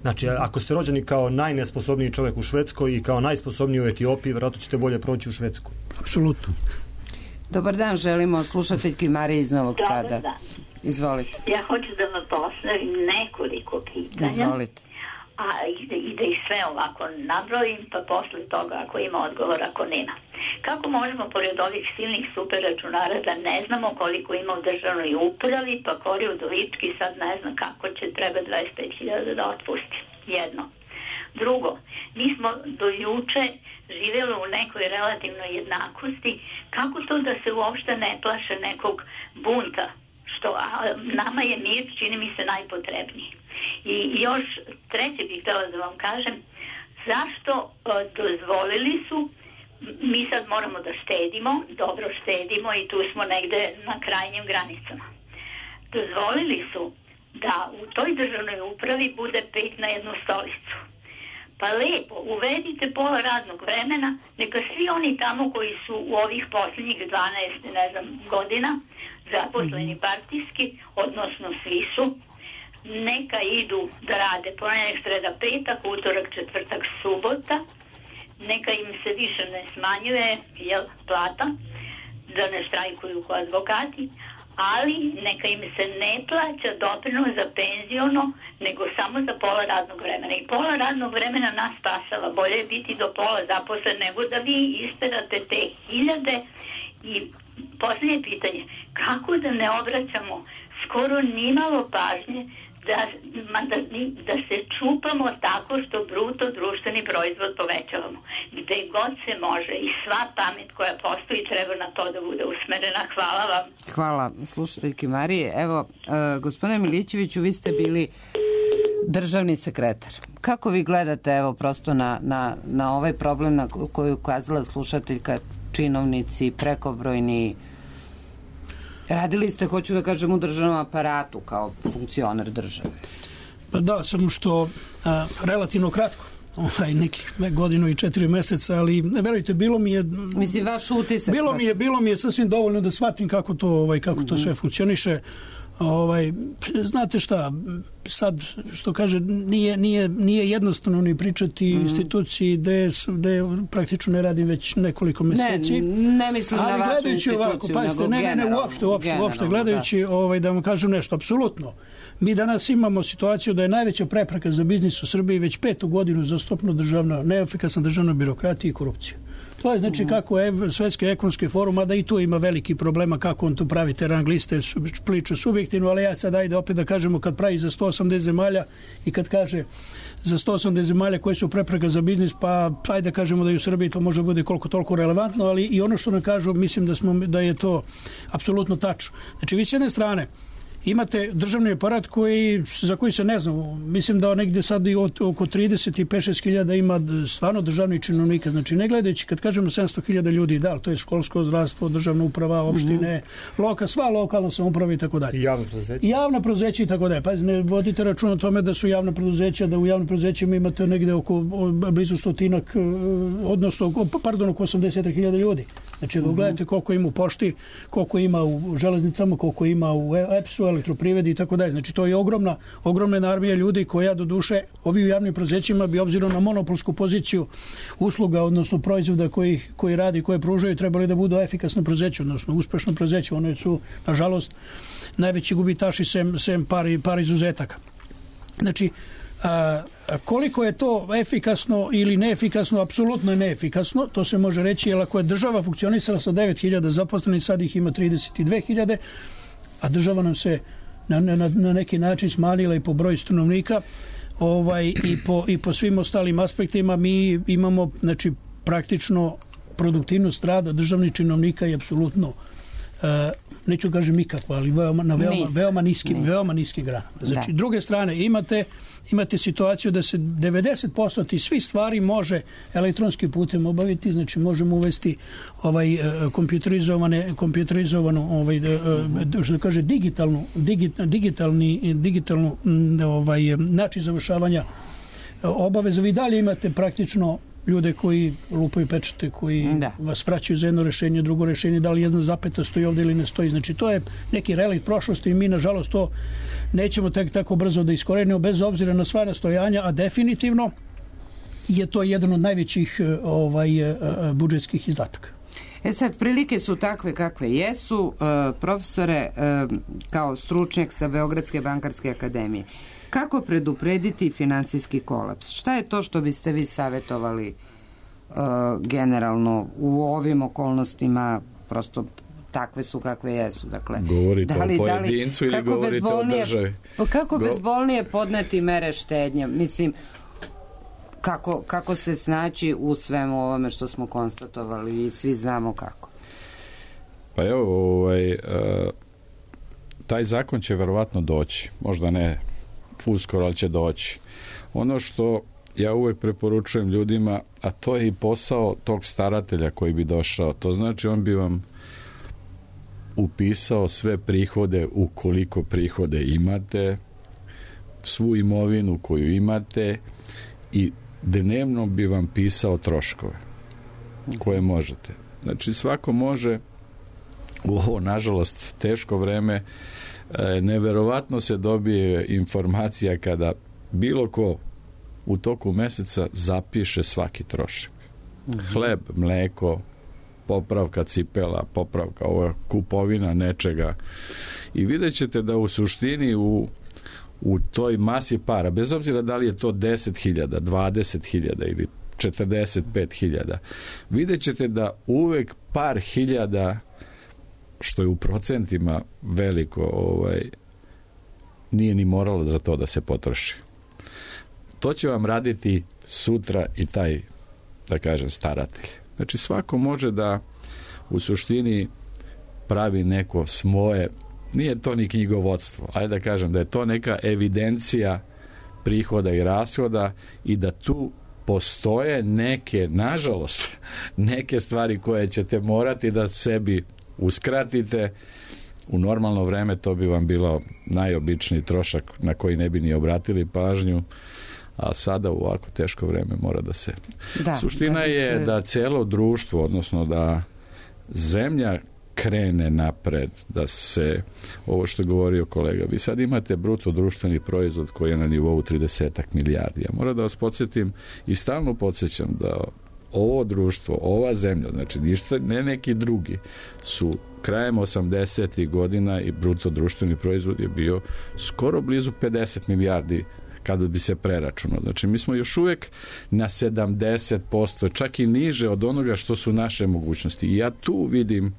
Znači, ako ste rođeni kao najnesposobniji čovjek u Švedskoj i kao najsposobniji u Etiopiji, vjerojatno ćete bolje proći u Švedskoj. Apsolutno. Dobar dan, želimo slušateljki Marije iz Novog Dobar Sada. Dan. Izvolite. Ja hoću da vam postavim nekoliko pitanja. Izvolite. A i da, i da ih sve ovako nabrojim, pa posle toga ako ima odgovor, ako nema. Kako možemo pored ovih silnih super računara da ne znamo koliko ima u državnoj upravi, pa Kori Udovički sad ne zna kako će, treba dvadeset pet hiljada da otpusti. Jedno. Drugo, mi smo do juče živjeli u nekoj relativnoj jednakosti. Kako to da se uopšte ne plaše nekog bunta? Što a, nama je mir, čini mi se, najpotrebniji. I još treće bih htjela da vam kažem, zašto a, dozvolili su, mi sad moramo da štedimo, dobro štedimo i tu smo negde na krajnjim granicama. Dozvolili su da u toj državnoj upravi bude pet na jednu stolicu. Pa lepo, uvedite pola radnog vremena, neka svi oni tamo koji su u ovih posljednjih dvanaest, ne znam, godina zaposleni partijski, odnosno svi su, neka idu da rade ponedjeljak, sreda, petak, utorak, četvrtak, subota, neka im se više ne smanjuje jel, plata, da ne štrajkuju kao advokati, ali neka im se ne plaća doprinos za penziono, nego samo za pola radnog vremena. I pola radnog vremena nas spasava. Bolje je biti do pola zaposlen nego da vi isterate te hiljade. I posljednje pitanje, kako da ne obraćamo skoro nimalo pažnje da, da, da se čupamo tako što bruto društveni proizvod povećavamo. Gde god se može i sva pamet koja postoji treba na to da bude usmerena. Hvala vam. Hvala slušateljki Marije. Evo, uh, gospodine Milićeviću, vi ste bili državni sekretar. Kako vi gledate, evo, prosto na, na, na ovaj problem na koji je ukazala slušateljka, činovnici, prekobrojni? Radili ste, hoću da kažem, u državnom aparatu kao funkcioner države. Pa da, samo što a, relativno kratko, ovaj, nekih godinu i četiri meseca, ali verujte, bilo mi je... Mislim, vaš utisak. Bilo mi je, bilo mi je sasvim dovoljno da shvatim kako to, ovaj, kako mm-hmm. to sve funkcioniše. Ovaj, znate šta, sad, što kaže, nije, nije, nije jednostavno ni pričati mm. instituciji gde, gde praktično ne radim već nekoliko meseci. Ne, ne mislim na vašu instituciju, ovako, pazite, nego ne, ne, ne, uopšte, uopšte, uopšte gledajući, da. Ovaj, da vam kažem nešto, apsolutno. Mi danas imamo situaciju da je najveća prepreka za biznis u Srbiji već petu godinu zastupno državna, neefikasna državna birokratija i korupcija. To je znači kako je Svetski ekonomski forum, a da i tu ima veliki problema kako on tu pravi te rang liste, priču subjektivno, ali ja sad ajde opet da kažemo kad pravi za sto osamdeset zemalja i kad kaže za sto osamdeset zemalja koje su prepreka za biznis, pa ajde da kažemo da i u Srbiji to može bude koliko toliko relevantno, ali i ono što nam kažu, mislim da, smo, da je to apsolutno tačno. Znači vi s jedne strane imate državni aparat koji, za koji se ne znam, mislim da negde sad i oko trideset pet do šest hiljada ima stvarno državnih činovnika, znači ne gledajući kad kažemo sedamsto hiljada ljudi, da, to je školsko, zdravstvo, državna uprava, opštine, mm-hmm. loka, sva lokalna samouprava i tako dalje. I javna preduzeća. I javna preduzeća i tako dalje. Pa ne vodite račun o tome da su javna preduzeća, da u javnim preduzećima imate negde oko blizu stotinak, odnosno, pardon, oko osamdeset hiljada ljudi. Znači, mm-hmm. gledajte koliko ima u pošti, koliko ima u železnicama, koliko ima u E P S-u, elektroprivredi i tako dalje. Znači to je ogromna, ogromna armija ljudi koja do duše ovi u javnim preduzećima bi obzirom na monopolsku poziciju usluga, odnosno proizvoda koji, koji radi, koje pružaju, trebali da budu efikasno preduzeće, odnosno uspešno preduzeće. One su, nažalost, najveći gubitaši sem, sem par, par izuzetaka. Znači, a, koliko je to efikasno ili neefikasno, apsolutno je neefikasno, to se može reći, jer ako je država funkcionisala sa devet hiljada zaposlenih, sad ih ima trideset dve hiljade, a država nam se na, na, na neki način smanjila i po broju stanovnika, ovaj, i, po, i po svim ostalim aspektima. Mi imamo, znači, praktično produktivnost rada državnih činovnika je apsolutno, uh, neću kažem nikakva, ali veoma, na veoma, Nisk. veoma niskim, Nisk. veoma niskim granama. Znači, da. druge strane, imate, imate situaciju da se devedeset posto ti svi stvari može elektronskim putem obaviti, znači možemo uvesti ovaj kompjuterizovane, kompjuterizovanu, ovaj, što kaže, digitalnu, digitalni, digitalnu ovaj, način završavanja obaveza. Vi dalje imate praktično ljude koji lupaju pečate, koji da. vas vraćaju za jedno rešenje, drugo rešenje, da li jedna zapeta stoji ovde ili ne stoji. Znači, to je neki relikt prošlosti i mi, nažalost, to nećemo tek tako brzo da iskorenimo, bez obzira na sva nastojanja, a definitivno je to jedan od najvećih ovaj, budžetskih izdataka. E sad, prilike su takve kakve jesu. E, profesore, e, kao stručnjak sa Beogradske bankarske akademije, kako preduprediti finansijski kolaps? Šta je to što biste vi savjetovali e, generalno u ovim okolnostima, prosto takve su kakve jesu? Dakle, govorite da li, o pojedincu ili govorite o državi? Kako Go... bezbolnije podneti mere štednje? Mislim, Kako, kako se snaći u svemu ovome što smo konstatovali i svi znamo kako? Pa evo, ovaj, taj zakon će verovatno doći. Možda ne uskoro, ali će doći. Ono što ja uvek preporučujem ljudima, a to je i posao tog staratelja koji bi došao. To znači on bi vam upisao sve prihode, ukoliko prihode imate, svu imovinu koju imate i dnevno bi vam pisao troškove koje možete. Znači svako može u ovo, nažalost, teško vreme, neverovatno se dobije informacija kada bilo ko u toku meseca zapiše svaki trošak. Mm-hmm. Hleb, mleko, popravka cipela, popravka ova kupovina nečega. I vidjet ćete da u suštini u u toj masi para, bez obzira da li je to deset hiljada, dvadeset hiljada ili četrdeset pet hiljada, vidjet ćete da uvek par hiljada, što je u procentima veliko, ovaj, nije ni moralo za to da se potroši. To će vam raditi sutra i taj, da kažem, staratelj. Znači svako može da u suštini pravi neko svoje, nije to ni knjigovodstvo, ajde da kažem da je to neka evidencija prihoda i rashoda i da tu postoje neke, nažalost, neke stvari koje ćete morati da sebi uskratite. U normalno vreme to bi vam bilo najobičniji trošak na koji ne bi ni obratili pažnju, a sada u ovako teško vreme mora da se... Da, suština da je se... da celo društvo, odnosno da zemlja krene napred, da se, ovo što je govorio kolega, vi sad imate bruto društveni proizvod koji je na nivou trideset milijardi. Ja moram da vas podsjetim i stalno podsjećam da ovo društvo, ova zemlja, znači ništa, ne neki drugi, su krajem osamdesetih godina i bruto društveni proizvod je bio skoro blizu pedeset milijardi kada bi se preračunao. Znači mi smo još uvek na sedamdeset posto, čak i niže od onoga što su naše mogućnosti. I ja tu vidim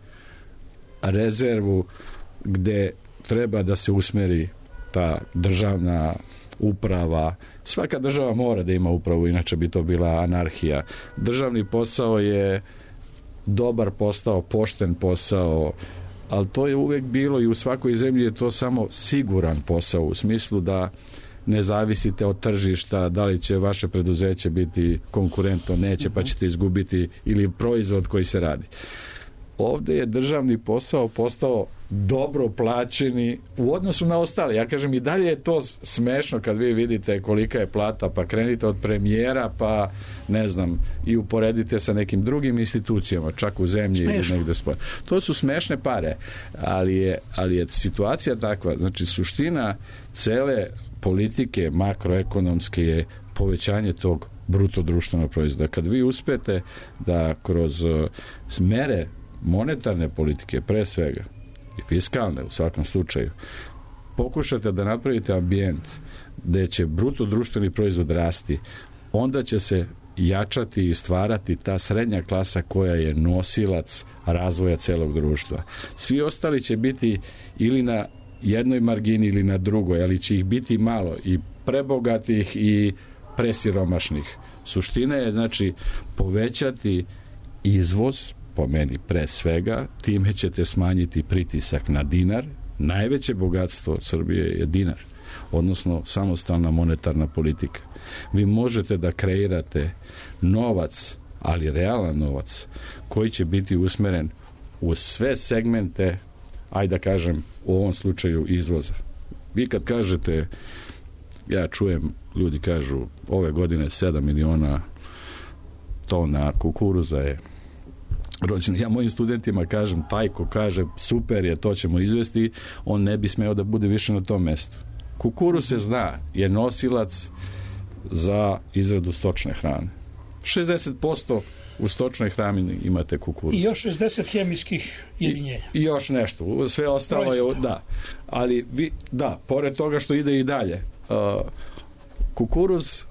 rezervu gde treba da se usmeri ta državna uprava. Svaka država mora da ima upravu, inače bi to bila anarhija. Državni posao je dobar posao, pošten posao, ali to je uvek bilo i u svakoj zemlji je to samo siguran posao, u smislu da ne zavisite od tržišta, da li će vaše preduzeće biti konkurentno, neće, pa ćete izgubiti, ili proizvod koji se radi. Ovde je državni posao postao dobro plaćeni u odnosu na ostale. Ja kažem, i dalje je to smešno kad vi vidite kolika je plata, pa krenite od premijera, pa ne znam, i uporedite sa nekim drugim institucijama, čak u zemlji ili negde spoje. To su smešne pare, ali je, ali je situacija takva. Znači, suština cele politike makroekonomske je povećanje tog bruto društvenog proizvoda. Kad vi uspete da kroz mere monetarne politike, pre svega, i fiskalne u svakom slučaju, pokušate da napravite ambijent gde će bruto društveni proizvod rasti, onda će se jačati i stvarati ta srednja klasa koja je nosilac razvoja celog društva. Svi ostali će biti ili na jednoj margini ili na drugoj, ali će ih biti malo, i prebogatih i presiromašnih. Suština je, znači, povećati izvoz, po meni pre svega, time ćete smanjiti pritisak na dinar. Najveće bogatstvo Srbije je dinar, odnosno samostalna monetarna politika. Vi možete da kreirate novac, ali realan novac, koji će biti usmeren u sve segmente, ajde da kažem, u ovom slučaju izvoza. Vi kad kažete, ja čujem, ljudi kažu, ove godine sedam miliona tona kukuruza je rođeno. Ja mojim studentima kažem, taj ko kaže super je, to ćemo izvesti, on ne bi smeo da bude više na tom mestu. Kukuruz se zna, je nosilac za izradu stočne hrane. šezdeset posto u stočnoj hrani imate kukuruz. I još šezdeset hemijskih jedinjenja. I, i još nešto. Sve ostalo je, da. Ali, vi, da, pored toga što ide i dalje, uh, kukuruz,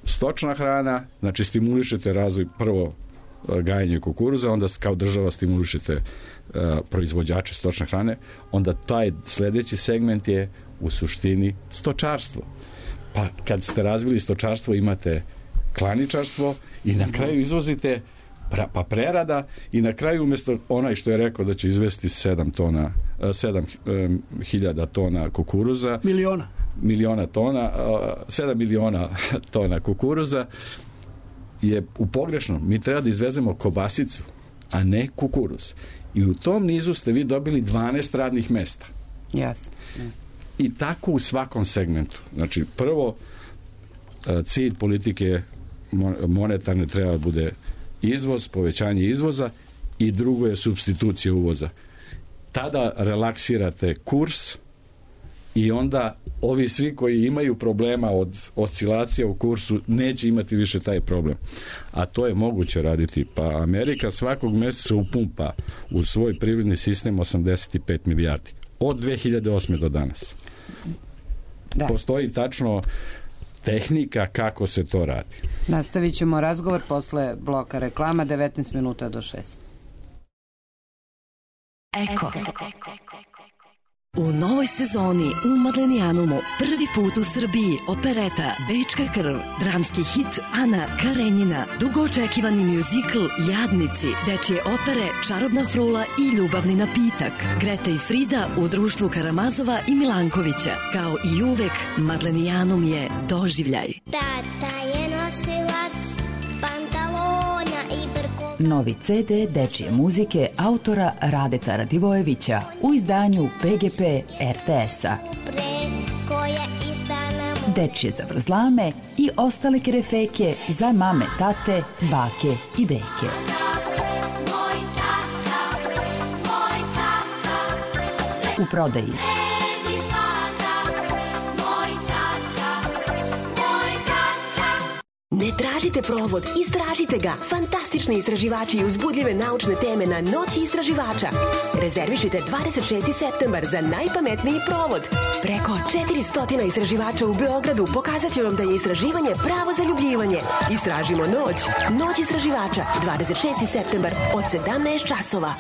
stočna hrana, znači stimulišete razvoj prvo gajenje kukuruza, onda kao država stimulišete uh, proizvođače stočne hrane, onda taj sledeći segment je u suštini stočarstvo. Pa kad ste razvili stočarstvo imate klaničarstvo i na kraju izvozite pra, pa prerada i na kraju umjesto onaj što je rekao da će izvesti sedam tona, sedam hiljada tona kukuruza, miliona miliona tona, sedam miliona tona kukuruza je u pogrešnom. Mi treba da izvezemo kobasicu, a ne kukuruz. I u tom nizu ste vi dobili dvanaest radnih mesta. Yes. I tako u svakom segmentu. Znači, prvo, cilj politike monetarne treba da bude izvoz, povećanje izvoza i drugo je supstitucija uvoza. Tada relaksirate kurs i onda ovi svi koji imaju problema od oscilacija u kursu neće imati više taj problem. A to je moguće raditi. Pa Amerika svakog meseca upumpa u svoj privredni sistem osamdeset pet milijardi. Od dve hiljade osme do danas. Da. Postoji tačno tehnika kako se to radi. Nastavit ćemo razgovor posle bloka reklama, devetnaest minuta do šest. Eko. U novoj sezoni u Madlenijanumu prvi put u Srbiji opereta Bečka krv, dramski hit Ana Karenjina, dugo očekivani mjuzikl Jadnici, dečje opere Čarobna frula i Ljubavni napitak, Greta i Frida u društvu Karamazova i Milankovića. Kao i uvek, Madlenijanum je doživljaj. Tata je nosilac pantalona i brko. Novi ce de dečije muzike autora Radeta Radivojevića u izdanju pe ge pe er te es-a. Dečije zavrzlame i ostale kerefeke za mame, tate, bake i deke. U prodaji. Ne tražite provod, istražite ga. Fantastični istraživači i uzbudljive naučne teme na Noći istraživača. Rezervišite dvadeset šesti septembar za najpametniji provod. Preko četiristo istraživača u Beogradu pokazat će vam da je istraživanje pravo zaljubljivanje. Istražimo noć. Noć istraživača, dvadeset šesti septembar od sedamnaest časova.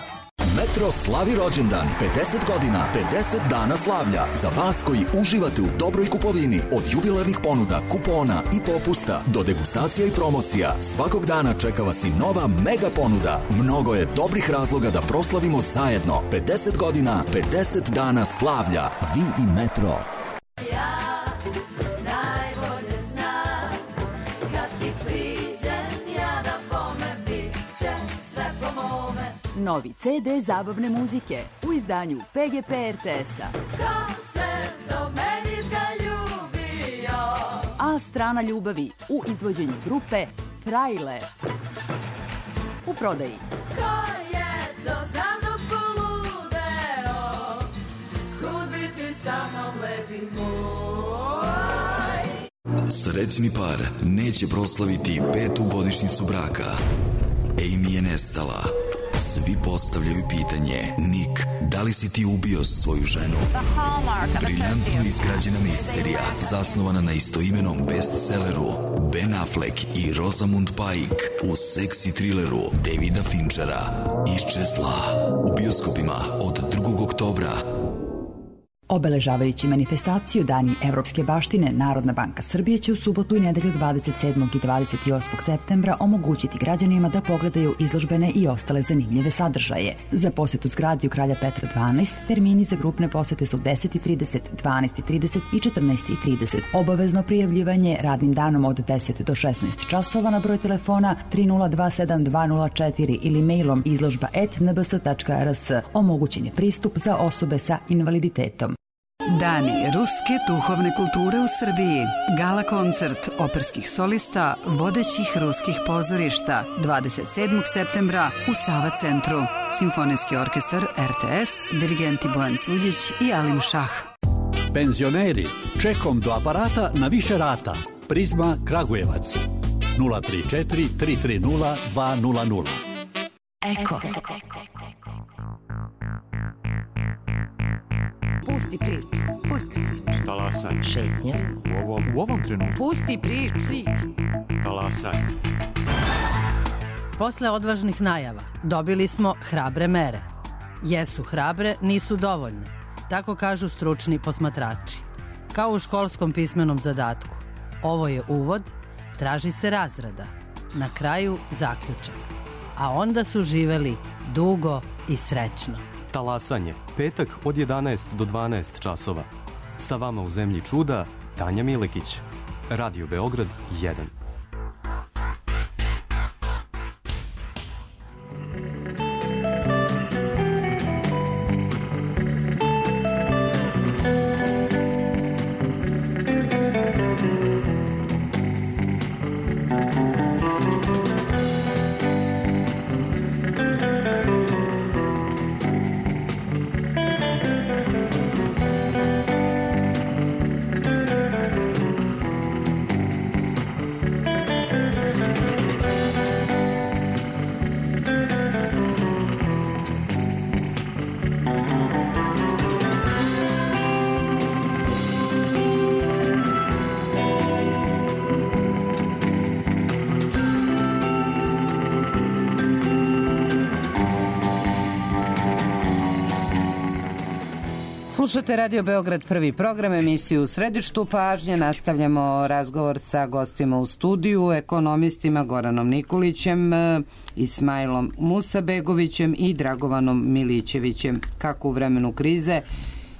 Metro slavi rođendan, pedeset godina, pedeset dana slavlja. Za vas koji uživate u dobroj kupovini, od jubilarnih ponuda, kupona i popusta do degustacija i promocija, svakog dana čeka vas i nova mega ponuda. Mnogo je dobrih razloga da proslavimo zajedno. pedeset godina, pedeset dana slavlja. Vi i Metro. Novi ce de zabavne muzike u izdanju pe ge pe er te es-a. A strana ljubavi u izvođenju grupe Trailer. U prodaji. Ko je to za mnom poludeo, kud bi ti sa mnom lepi moj. Srećni par neće proslaviti petu godišnjicu braka. Amy je nestala. Svi postavljaju pitanje, Nick, da li si ti ubio svoju ženu? Briljantno izgrađena misterija, zasnovana na istoimenom bestselleru Ben Affleck i Rosamund Pike u seksi trileru Davida Finchera Iščezla u bioskopima od drugog oktobra. Obeležavajući manifestaciju Dani evropske baštine, Narodna banka Srbije će u subotu i nedelju dvadeset sedmog i dvadeset osmog septembra omogućiti građanima da pogledaju izložbene i ostale zanimljive sadržaje. Za posetu zgradi u Kralja Petra dvanaest termini za grupne posete su deset i trideset, dvanaest i trideset i četrnaest i trideset. Obavezno prijavljivanje radnim danom od deset do šesnaest časova na broj telefona tri nula dva sedam dva nula četiri ili mailom izložba et en be es tačka er es. Omogućen je pristup za osobe sa invaliditetom. Dani ruske duhovne kulture u Srbiji. Gala koncert operskih solista vodećih ruskih pozorišta dvadeset sedmog septembra u Sava centru. Simfonijski orkestar R T S, dirigenti Bojan Suđić i Alim Šah. Penzioneri, čekom do aparata na više rata. Prizma Kragujevac. nula tri četiri tri tri nula dva nula nula. Eko. Pusti priču. Pusti priču. Talasaj. Šetnja. U ovom, u ovom trenutku. Pusti priču. Talasaj. Posle odvažnih najava dobili smo hrabre mere. Jesu hrabre, nisu dovoljne. Tako kažu stručni posmatrači. Kao u školskom pismenom zadatku. Ovo je uvod, traži se razrada. Na kraju zaključak. A onda su živeli dugo i srećno. Talasanje, petak od jedanaest do dvanaest časova. Sa vama u Zemlji čuda, Tanja Milekić. Radio Beograd jedan. Slušate Radio Beograd, prvi program, emisiju u središtu pažnje. Nastavljamo razgovor sa gostima u studiju, ekonomistima Goranom Nikolićem, Ismailom Musabegovićem i Dragovanom Milićevićem. Kako u vremenu krize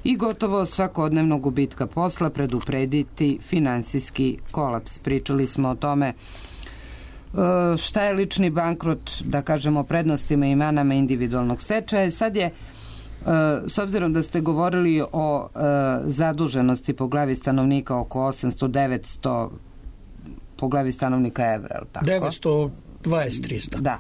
i gotovo svakodnevnog gubitka posla preduprediti finansijski kolaps. Pričali smo o tome šta je lični bankrot, da kažemo prednostima i manama individualnog stečaja. Sad je, s obzirom da ste govorili o zaduženosti po glavi stanovnika oko osamsto do devetsto po glavi stanovnika evra, je li tako? devetsto dvadeset do trista. Da.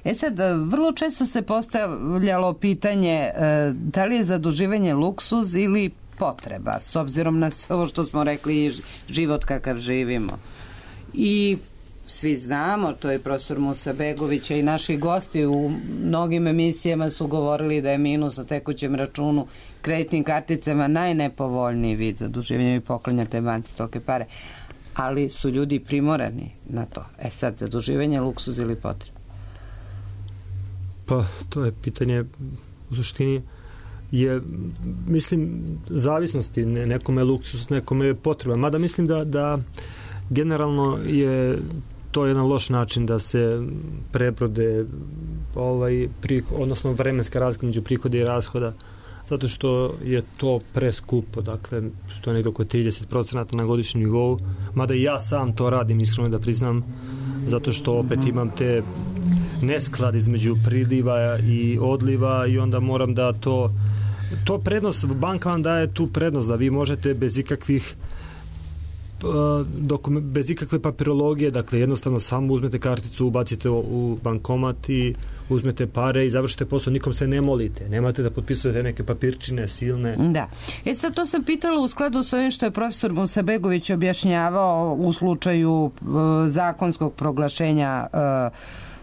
E sad, vrlo često se postavljalo pitanje da li je zaduživanje luksuz ili potreba, s obzirom na sve ovo što smo rekli, život kakav živimo. I svi znamo, to je profesor Musabegović i naši gosti u mnogim emisijama su govorili da je minus na tekućem računu kreditnim karticama najnepovoljniji vid zaduživanja i poklanjate banci tolike pare. Ali su ljudi primorani na to. E sad, zaduživanje, luksuz ili potreba? Pa, to je pitanje u suštini je, mislim, zavisnosti. Nekome je luksuz, nekome je potreba. Mada mislim da, da generalno je to jedan loš način da se prebrode ovaj, prih, odnosno vremenska razlika među prihoda i rashoda, zato što je to preskupo, dakle to je nekdo oko trideset procenata na godišnjem nivou, mada i ja sam to radim, iskreno da priznam, zato što opet imam te nesklad između priliva i odliva i onda moram da to to prednost, banka vam daje tu prednost da vi možete bez ikakvih Dokument, bez ikakve papirologije, dakle jednostavno samo uzmete karticu, ubacite u bankomat i uzmete pare i završite posao, nikom se ne molite, nemate da potpisujete neke papirčine silne. Da. E sad to sam pitala u skladu sa ovim što je profesor Musabegović objašnjavao u slučaju uh, zakonskog proglašenja uh,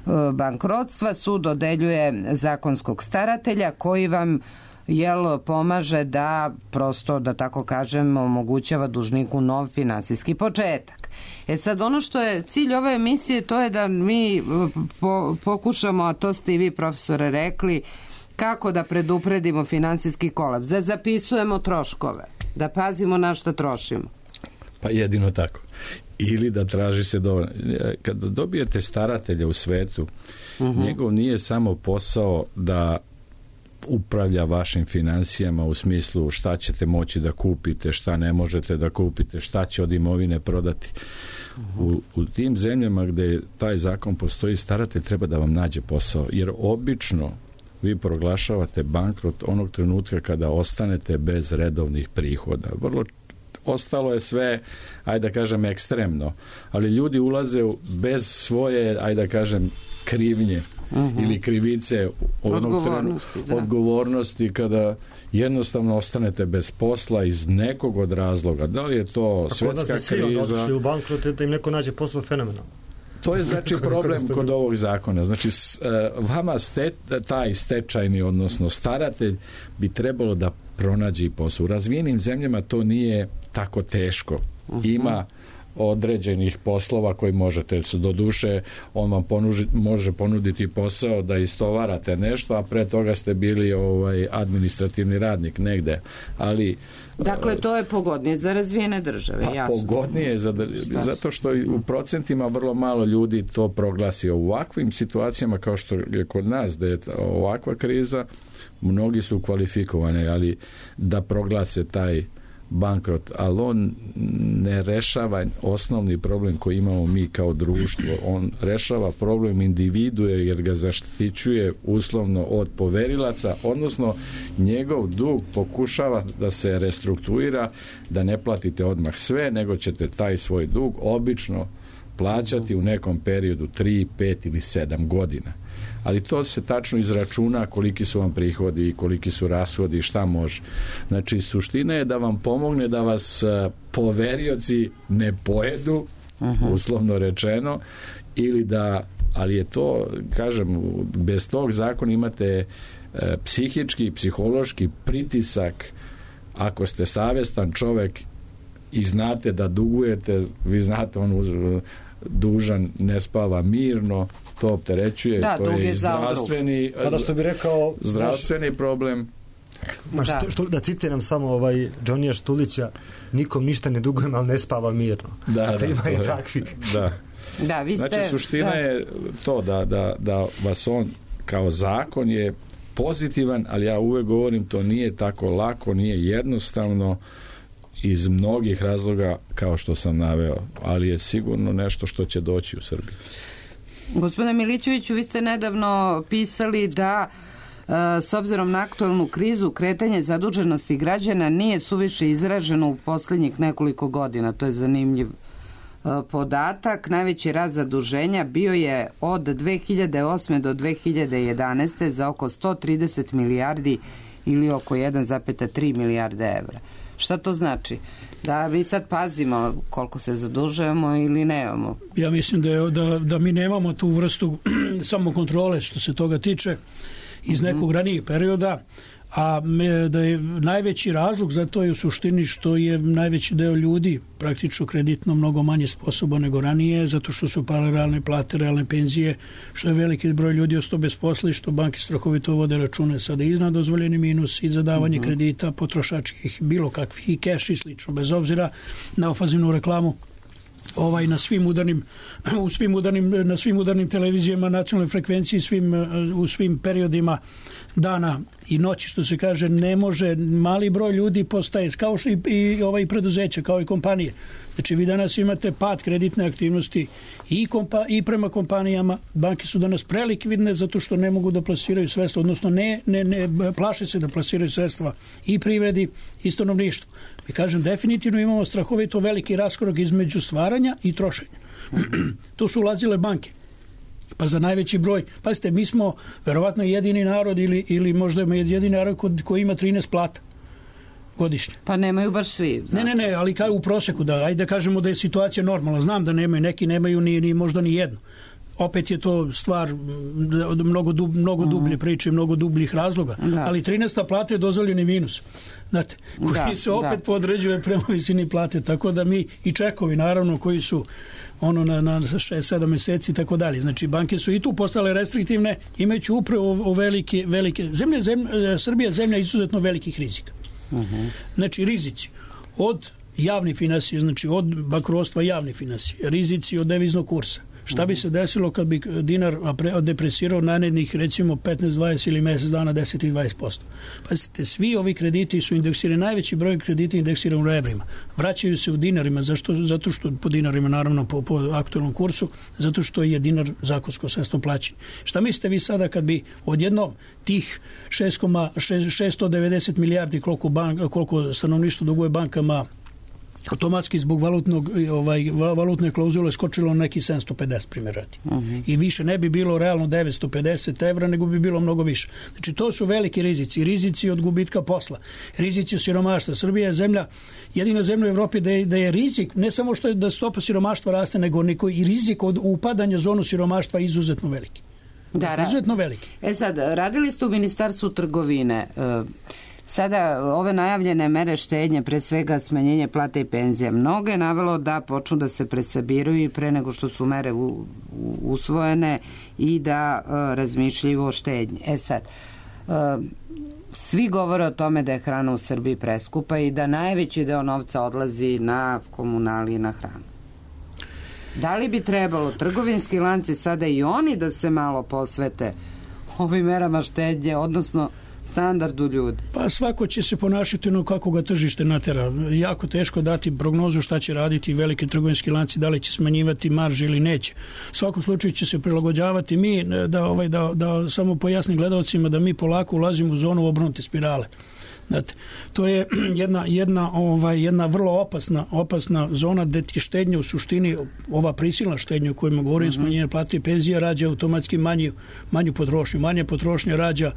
uh, bankrotstva. Sud dodeljuje zakonskog staratelja koji vam jel pomaže da prosto, da tako kažem, omogućava dužniku nov finansijski početak. E sad, ono što je cilj ove emisije, to je da mi po, pokušamo, a to ste i vi profesore rekli, kako da predupredimo finansijski kolaps, da zapisujemo troškove, da pazimo na šta trošimo. Pa jedino tako. Ili da traži se dovoljno. Kada dobijete staratelja u svetu, uh-huh. njegov nije samo posao da upravlja vašim financijama u smislu šta ćete moći da kupite, šta ne možete da kupite, šta će od imovine prodati. U, u tim zemljama gde taj zakon postoji, staratelj treba da vam nađe posao, jer obično vi proglašavate bankrot onog trenutka kada ostanete bez redovnih prihoda. Vrlo ostalo je sve, ajde da kažem, ekstremno, ali ljudi ulaze bez svoje, ajde da kažem, krivnje uh-huh. ili krivice odgovornosti, trenu, odgovornosti kada jednostavno ostanete bez posla iz nekog od razloga. Da li je to a svetska kriza? Ako nas bi u bankrot, da im neko nađe posao fenomenalno. To je znači problem kod ovog zakona. Znači vama ste, taj stečajni, odnosno staratelj bi trebalo da pronađe posao. U razvijenim zemljama to nije tako teško. Uh-huh. Ima određenih poslova koji možete, do duše on vam ponuži, može ponuditi posao da istovarate nešto, a pre toga ste bili ovaj administrativni radnik negde. Ali dakle, to je pogodnije za razvijene države, pa, jasno. Pogodnije, za, zato što u procentima vrlo malo ljudi to proglasi. U ovakvim situacijama kao što je kod nas, da je ovakva kriza, mnogi su kvalifikovani, ali da proglase taj bankrot, ali on ne rešava osnovni problem koji imamo mi kao društvo. On rešava problem individue jer ga zaštićuje uslovno od poverilaca, odnosno njegov dug pokušava da se restrukturira, da ne platite odmah sve, nego ćete taj svoj dug obično plaćati u nekom periodu tri, pet ili sedam godina. Ali to se tačno izračuna koliki su vam prihodi i koliki su rashodi i šta može. Znači, suština je da vam pomogne da vas poverioci ne pojedu, uh-huh. uslovno rečeno, ili da, ali je to, kažem, bez tog zakona imate e, psihički, psihološki pritisak. Ako ste savestan čovek i znate da dugujete, vi znate, on uz, dužan ne spava mirno, to opterećuje, da, to je i zdravstveni, pa što bi rekao, zdravstveni naš, problem. Ma što, da. Što, da citiram samo ovaj Džonija Štulića, nikom ništa ne dugujem, ali ne spava mirno. Da, da, da ima je, i takvih. Da. Da, vi ste, znači, suština da. je to da, da, da vas on kao zakon je pozitivan, ali ja uvek govorim, to nije tako lako, nije jednostavno, iz mnogih razloga kao što sam naveo, ali je sigurno nešto što će doći u Srbiji. Gospodine Milićeviću, vi ste nedavno pisali da s obzirom na aktualnu krizu kretanje zaduženosti građana nije suviše izraženo u posljednjih nekoliko godina. To je zanimljiv podatak. Najveći rast zaduženja bio je od dve hiljade osme do dve hiljade jedanaeste za oko sto trideset milijardi ili oko jedan zarez tri milijarde evra. Šta to znači? Da mi sad pazimo koliko se zadužujemo ili nemamo? Ja mislim da, je, da, da mi nemamo tu vrstu samokontrole što se toga tiče iz nekog ranijeg perioda, a da je najveći razlog za to je u suštini što je najveći deo ljudi praktično kreditno mnogo manje sposoban nego ranije, zato što su pale realne plate, realne penzije, što je veliki broj ljudi ostao bez posla i što banke strahovito vode račune sada iznad dozvoljeni minus i za davanje uh-huh. kredita potrošačkih bilo kakvih i keš i slično, bez obzira na ofazivnu reklamu ovaj na svim udarnim u svim udarnim na svim udarnim televizijama nacionalne frekvencije svim u svim periodima dana i noći, što se kaže, ne može, mali broj ljudi postaje kao što i, i ovaj preduzeća, kao i kompanije. Znači vi danas imate pad kreditne aktivnosti i, kompa, i prema kompanijama. Banke su danas prelikvidne zato što ne mogu da plasiraju sredstva, odnosno ne, ne, ne plaše se da plasiraju sredstva i privredi i stanovništvu. I kažem, definitivno imamo strahovito veliki raskorak između stvaranja i trošenja. Tu su ulazile banke. Pa za najveći broj, pazite, mi smo verovatno jedini narod ili, ili možda jedini narod koji ima trinaest plata godišnje. Pa nemaju baš svi. Znači. Ne, ne, ne, ali kao u proseku, da, ajde da kažemo da je situacija normalna. Znam da nemaju, neki nemaju ni, ni možda ni jednu. Opet je to stvar mnogo, dub, mnogo dublje priče, mnogo dubljih razloga. Da. Ali trinaesta plata je dozvoljeni minus. Znate, koji da, se opet da. podređuje prema visini plate. Tako da mi i čekovi, naravno, koji su ono na, na šest sedam meseci i tako dalje. Znači, banke su i tu postale restriktivne, imajući upravo o velike, velike zemlje, zemlje, Srbija je zemlja izuzetno velikih rizika. Uh-huh. Znači, rizici od javnih finansija, znači od bankrotstva javnih finansija, rizici od deviznog kursa, Šta bi se desilo kad bi dinar depresirao narednih recimo petnaest, dvadeset ili mjesec dana deset i dvadeset posto? Pazite, svi ovi krediti su indeksirani, najveći broj kredita indeksirani u evrima. Vraćaju se u dinarima, zašto? Zato što po dinarima, naravno po, po aktualnom kursu, zato što je dinar zakonsko sredstvo plaćanja. Šta mislite vi sada kad bi odjednom tih šesto devedeset milijardi koliko, bank, koliko stanovništvo duguje bankama automatski zbog valutnog, ovaj, valutne klauzule skočilo na neki sedamsto pedeset primjer radi. Uh-huh. I više ne bi bilo realno devetsto pedeset evra, nego bi bilo mnogo više. Znači to su veliki rizici. Rizici od gubitka posla. Rizici od siromaštva. Srbija je zemlja, jedina zemlja u Evropi da je, da je rizik, ne samo što je da stopa siromaštva raste, nego niko i rizik od upadanja u zonu siromaštva je izuzetno veliki. Da, izuzetno veliki. E sad, radili ste u Ministarstvu trgovine. Sada ove najavljene mere štednje, pre svega smanjenje plate i penzija, mnogo je navelo da počnu da se presabiraju pre nego što su mere u, u, usvojene i da uh, razmišljaju o štednji. E sad, uh, svi govore o tome da je hrana u Srbiji preskupa i da najveći deo novca odlazi na komunali i na hranu. Da li bi trebalo trgovinski lanci sada i oni da se malo posvete ovim merama štednje, odnosno standardu ljudi? Pa svako će se ponašati ono kako ga tržište natera. Jako teško dati prognozu šta će raditi velike trgovinski lanci, da li će smanjivati marže ili neće. U svakom slučaju će se prilagođavati mi, da, ovaj, da, da samo pojasnim gledalcima da mi polako ulazimo u zonu obrnute spirale. Znate, to je jedna, jedna, ovaj, jedna vrlo opasna, opasna zona gde ti štednja u suštini, ova prisilna štednja o kojima govorim, mm-hmm. smanjenje plate i penzija rađa automatski manju, manju potrošnju. Manja potrošnja rađa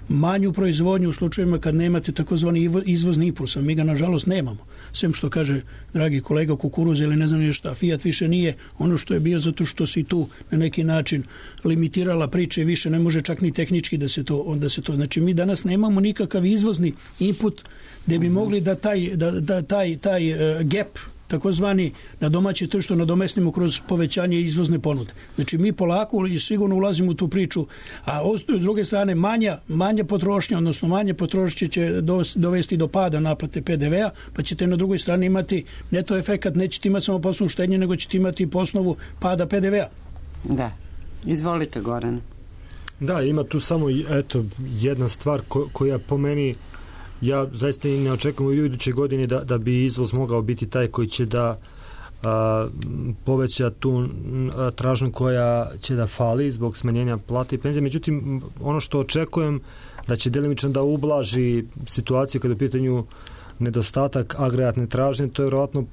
manju proizvodnju u slučajevima kad nemate takozvani izvozni impuls, a mi ga nažalost nemamo. Sem što kaže dragi kolega kukuruz ili ne znam nije šta, Fiat više nije ono što je bio zato što si tu na neki način limitirala priče i više ne može čak ni tehnički da se to, onda se to. Znači mi danas nemamo nikakav izvozni input gde bi mogli da taj, da, da taj, taj uh, gap takozvani na domaće tržište nadomestimo kroz povećanje izvozne ponude. Znači mi polako i sigurno ulazimo u tu priču, a s druge strane manja, manja potrošnja, odnosno manje potrošnje će dovesti do pada naplate pe de vea, pa ćete na drugoj strani imati neto efekat, nećete imati samo poslovnu štednju, nego ćete imati po osnovu pada pe de vea. Da. Izvolite, Goran. Da, ima tu samo eto, jedna stvar ko, koja po meni ja zaista ne očekujem u iduće godine da, da bi izvoz mogao biti taj koji će da a, poveća tu a, tražnju koja će da fali zbog smanjenja plate i penzije. Međutim, ono što očekujem da će delimično da ublaži situaciju kada je u pitanju nedostatak agregatne tražnje, to je vjerovatno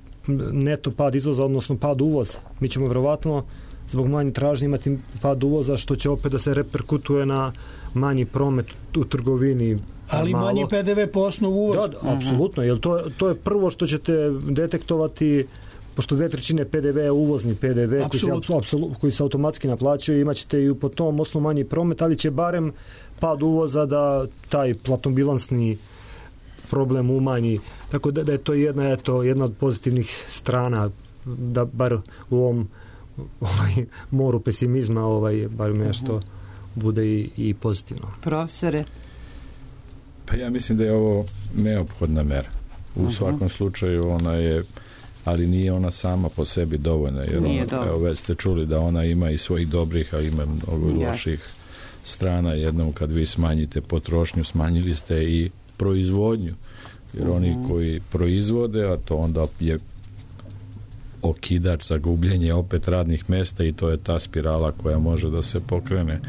neto pad izvoza, odnosno pad uvoza. Mi ćemo vjerovatno zbog manje tražnje imati pad uvoza, što će opet da se reperkutuje na manji promet u trgovini. Ali malo. Manji pe de ve po osnovu uvoza. Da, da, apsolutno, jer to, to je prvo što ćete detektovati, pošto dve trećine pe de ve je uvozni pe de ve koji se, apsolut, koji se automatski naplaćuje, imat ćete i po tom osnovu manji promet, ali će barem pad uvoza da taj platnobilansni problem umanji. Tako da, da je to jedna, eto, jedna od pozitivnih strana, da bar u ovom ovaj, moru pesimizma ovaj, bar nešto bude i, i pozitivno. Profesore? Pa ja mislim da je ovo neophodna mera. U uh-huh. svakom slučaju ona je, ali nije ona sama po sebi dovoljna, jer ona, evo, već ste čuli da ona ima i svojih dobrih, a ima mnogo loših strana. Jednom kad vi smanjite potrošnju, smanjili ste i proizvodnju, jer uh-huh. oni koji proizvode, a to onda je okidač za gubljenje opet radnih mesta i to je ta spirala koja može da se pokrene.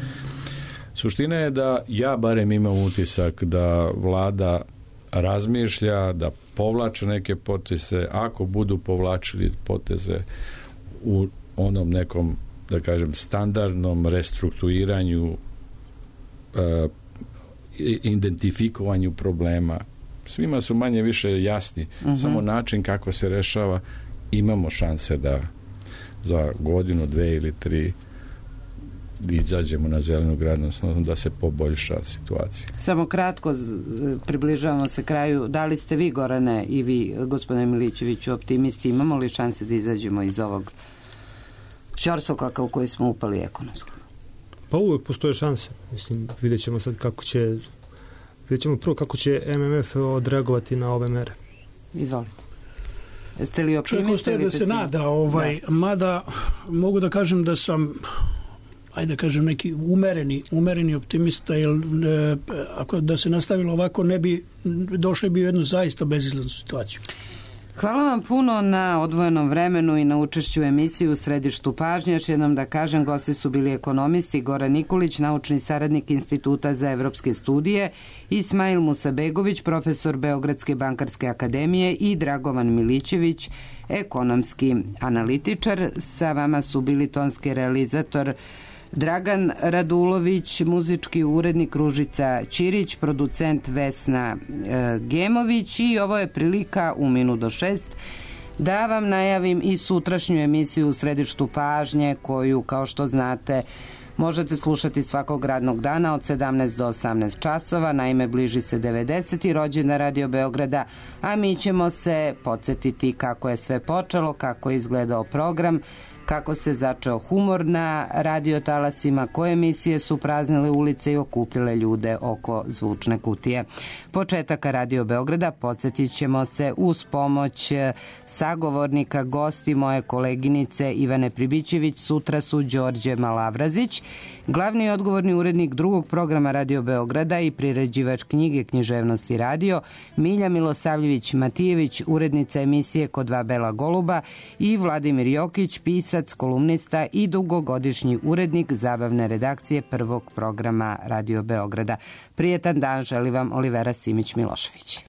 Suština je da ja barem imam utisak da vlada razmišlja, da povlače neke poteze, ako budu povlačili poteze u onom nekom, da kažem, standardnom restrukturiranju, e, identifikovanju problema. Svima su manje više jasni, uh-huh. samo način kako se rešava, imamo šanse da za godinu, dve ili tri izađemo na zelenu gradnost, da se poboljša situacija. Samo kratko, približavamo se kraju. Da li ste vi, Gorane, i vi, gospodine Milićeviću, optimisti? Imamo li šanse da izađemo iz ovog ćorsokaka u koji smo upali ekonomsko? Pa uvek postoje šanse. Mislim, vidjet ćemo sad kako će vidjet ćemo prvo kako će em em ef odreagovati na ove mere. Izvolite. Jeste li optimista? Čovjek ostaje da se nada, ovaj, da. Mada mogu da kažem da sam, ajde da kažem, neki umereni, umereni optimista, jer e, ako da se nastavilo ovako, ne bi došli bi u jednu zaista bezizlaznu situaciju. Hvala vam puno na odvojenom vremenu i na učešću u emisiji U središtu pažnje. Još jednom da kažem, gosti su bili ekonomisti Goran Nikolić, naučni saradnik Instituta za evropske studije, Ismail Musabegović, profesor Beogradske bankarske akademije i Dragovan Milićević, ekonomski analitičar. Sa vama su bili tonski realizator Dragan Radulović, muzički urednik Ružica Ćirić, producent Vesna e, Gemović i ovo je prilika u minut do šest da vam najavim i sutrašnju emisiju U središtu pažnje koju, kao što znate, možete slušati svakog radnog dana od sedamnaest do osamnaest časova. Naime, bliži se devedeseti rođendan Radio Beograda, a mi ćemo se podsjetiti kako je sve počelo, kako je izgledao program, kako se začeo humor na radiotalasima, koje emisije su praznile ulice i okupile ljude oko zvučne kutije. Početaka Radio Beograda podsjetit ćemo se uz pomoć sagovornika, gosti moje koleginice Ivane Pribićević. Sutra su Đorđe Malavrazić, glavni i odgovorni urednik drugog programa Radio Beograda i priređivač knjige Književnosti radio, Milja Milosavljević-Matijević, urednica emisije Kod dva bela goluba i Vladimir Jokić, pisac, kolumnista i dugogodišnji urednik zabavne redakcije prvog programa Radio Beograda. Prijetan dan želi vam Olivera Simić-Milošević.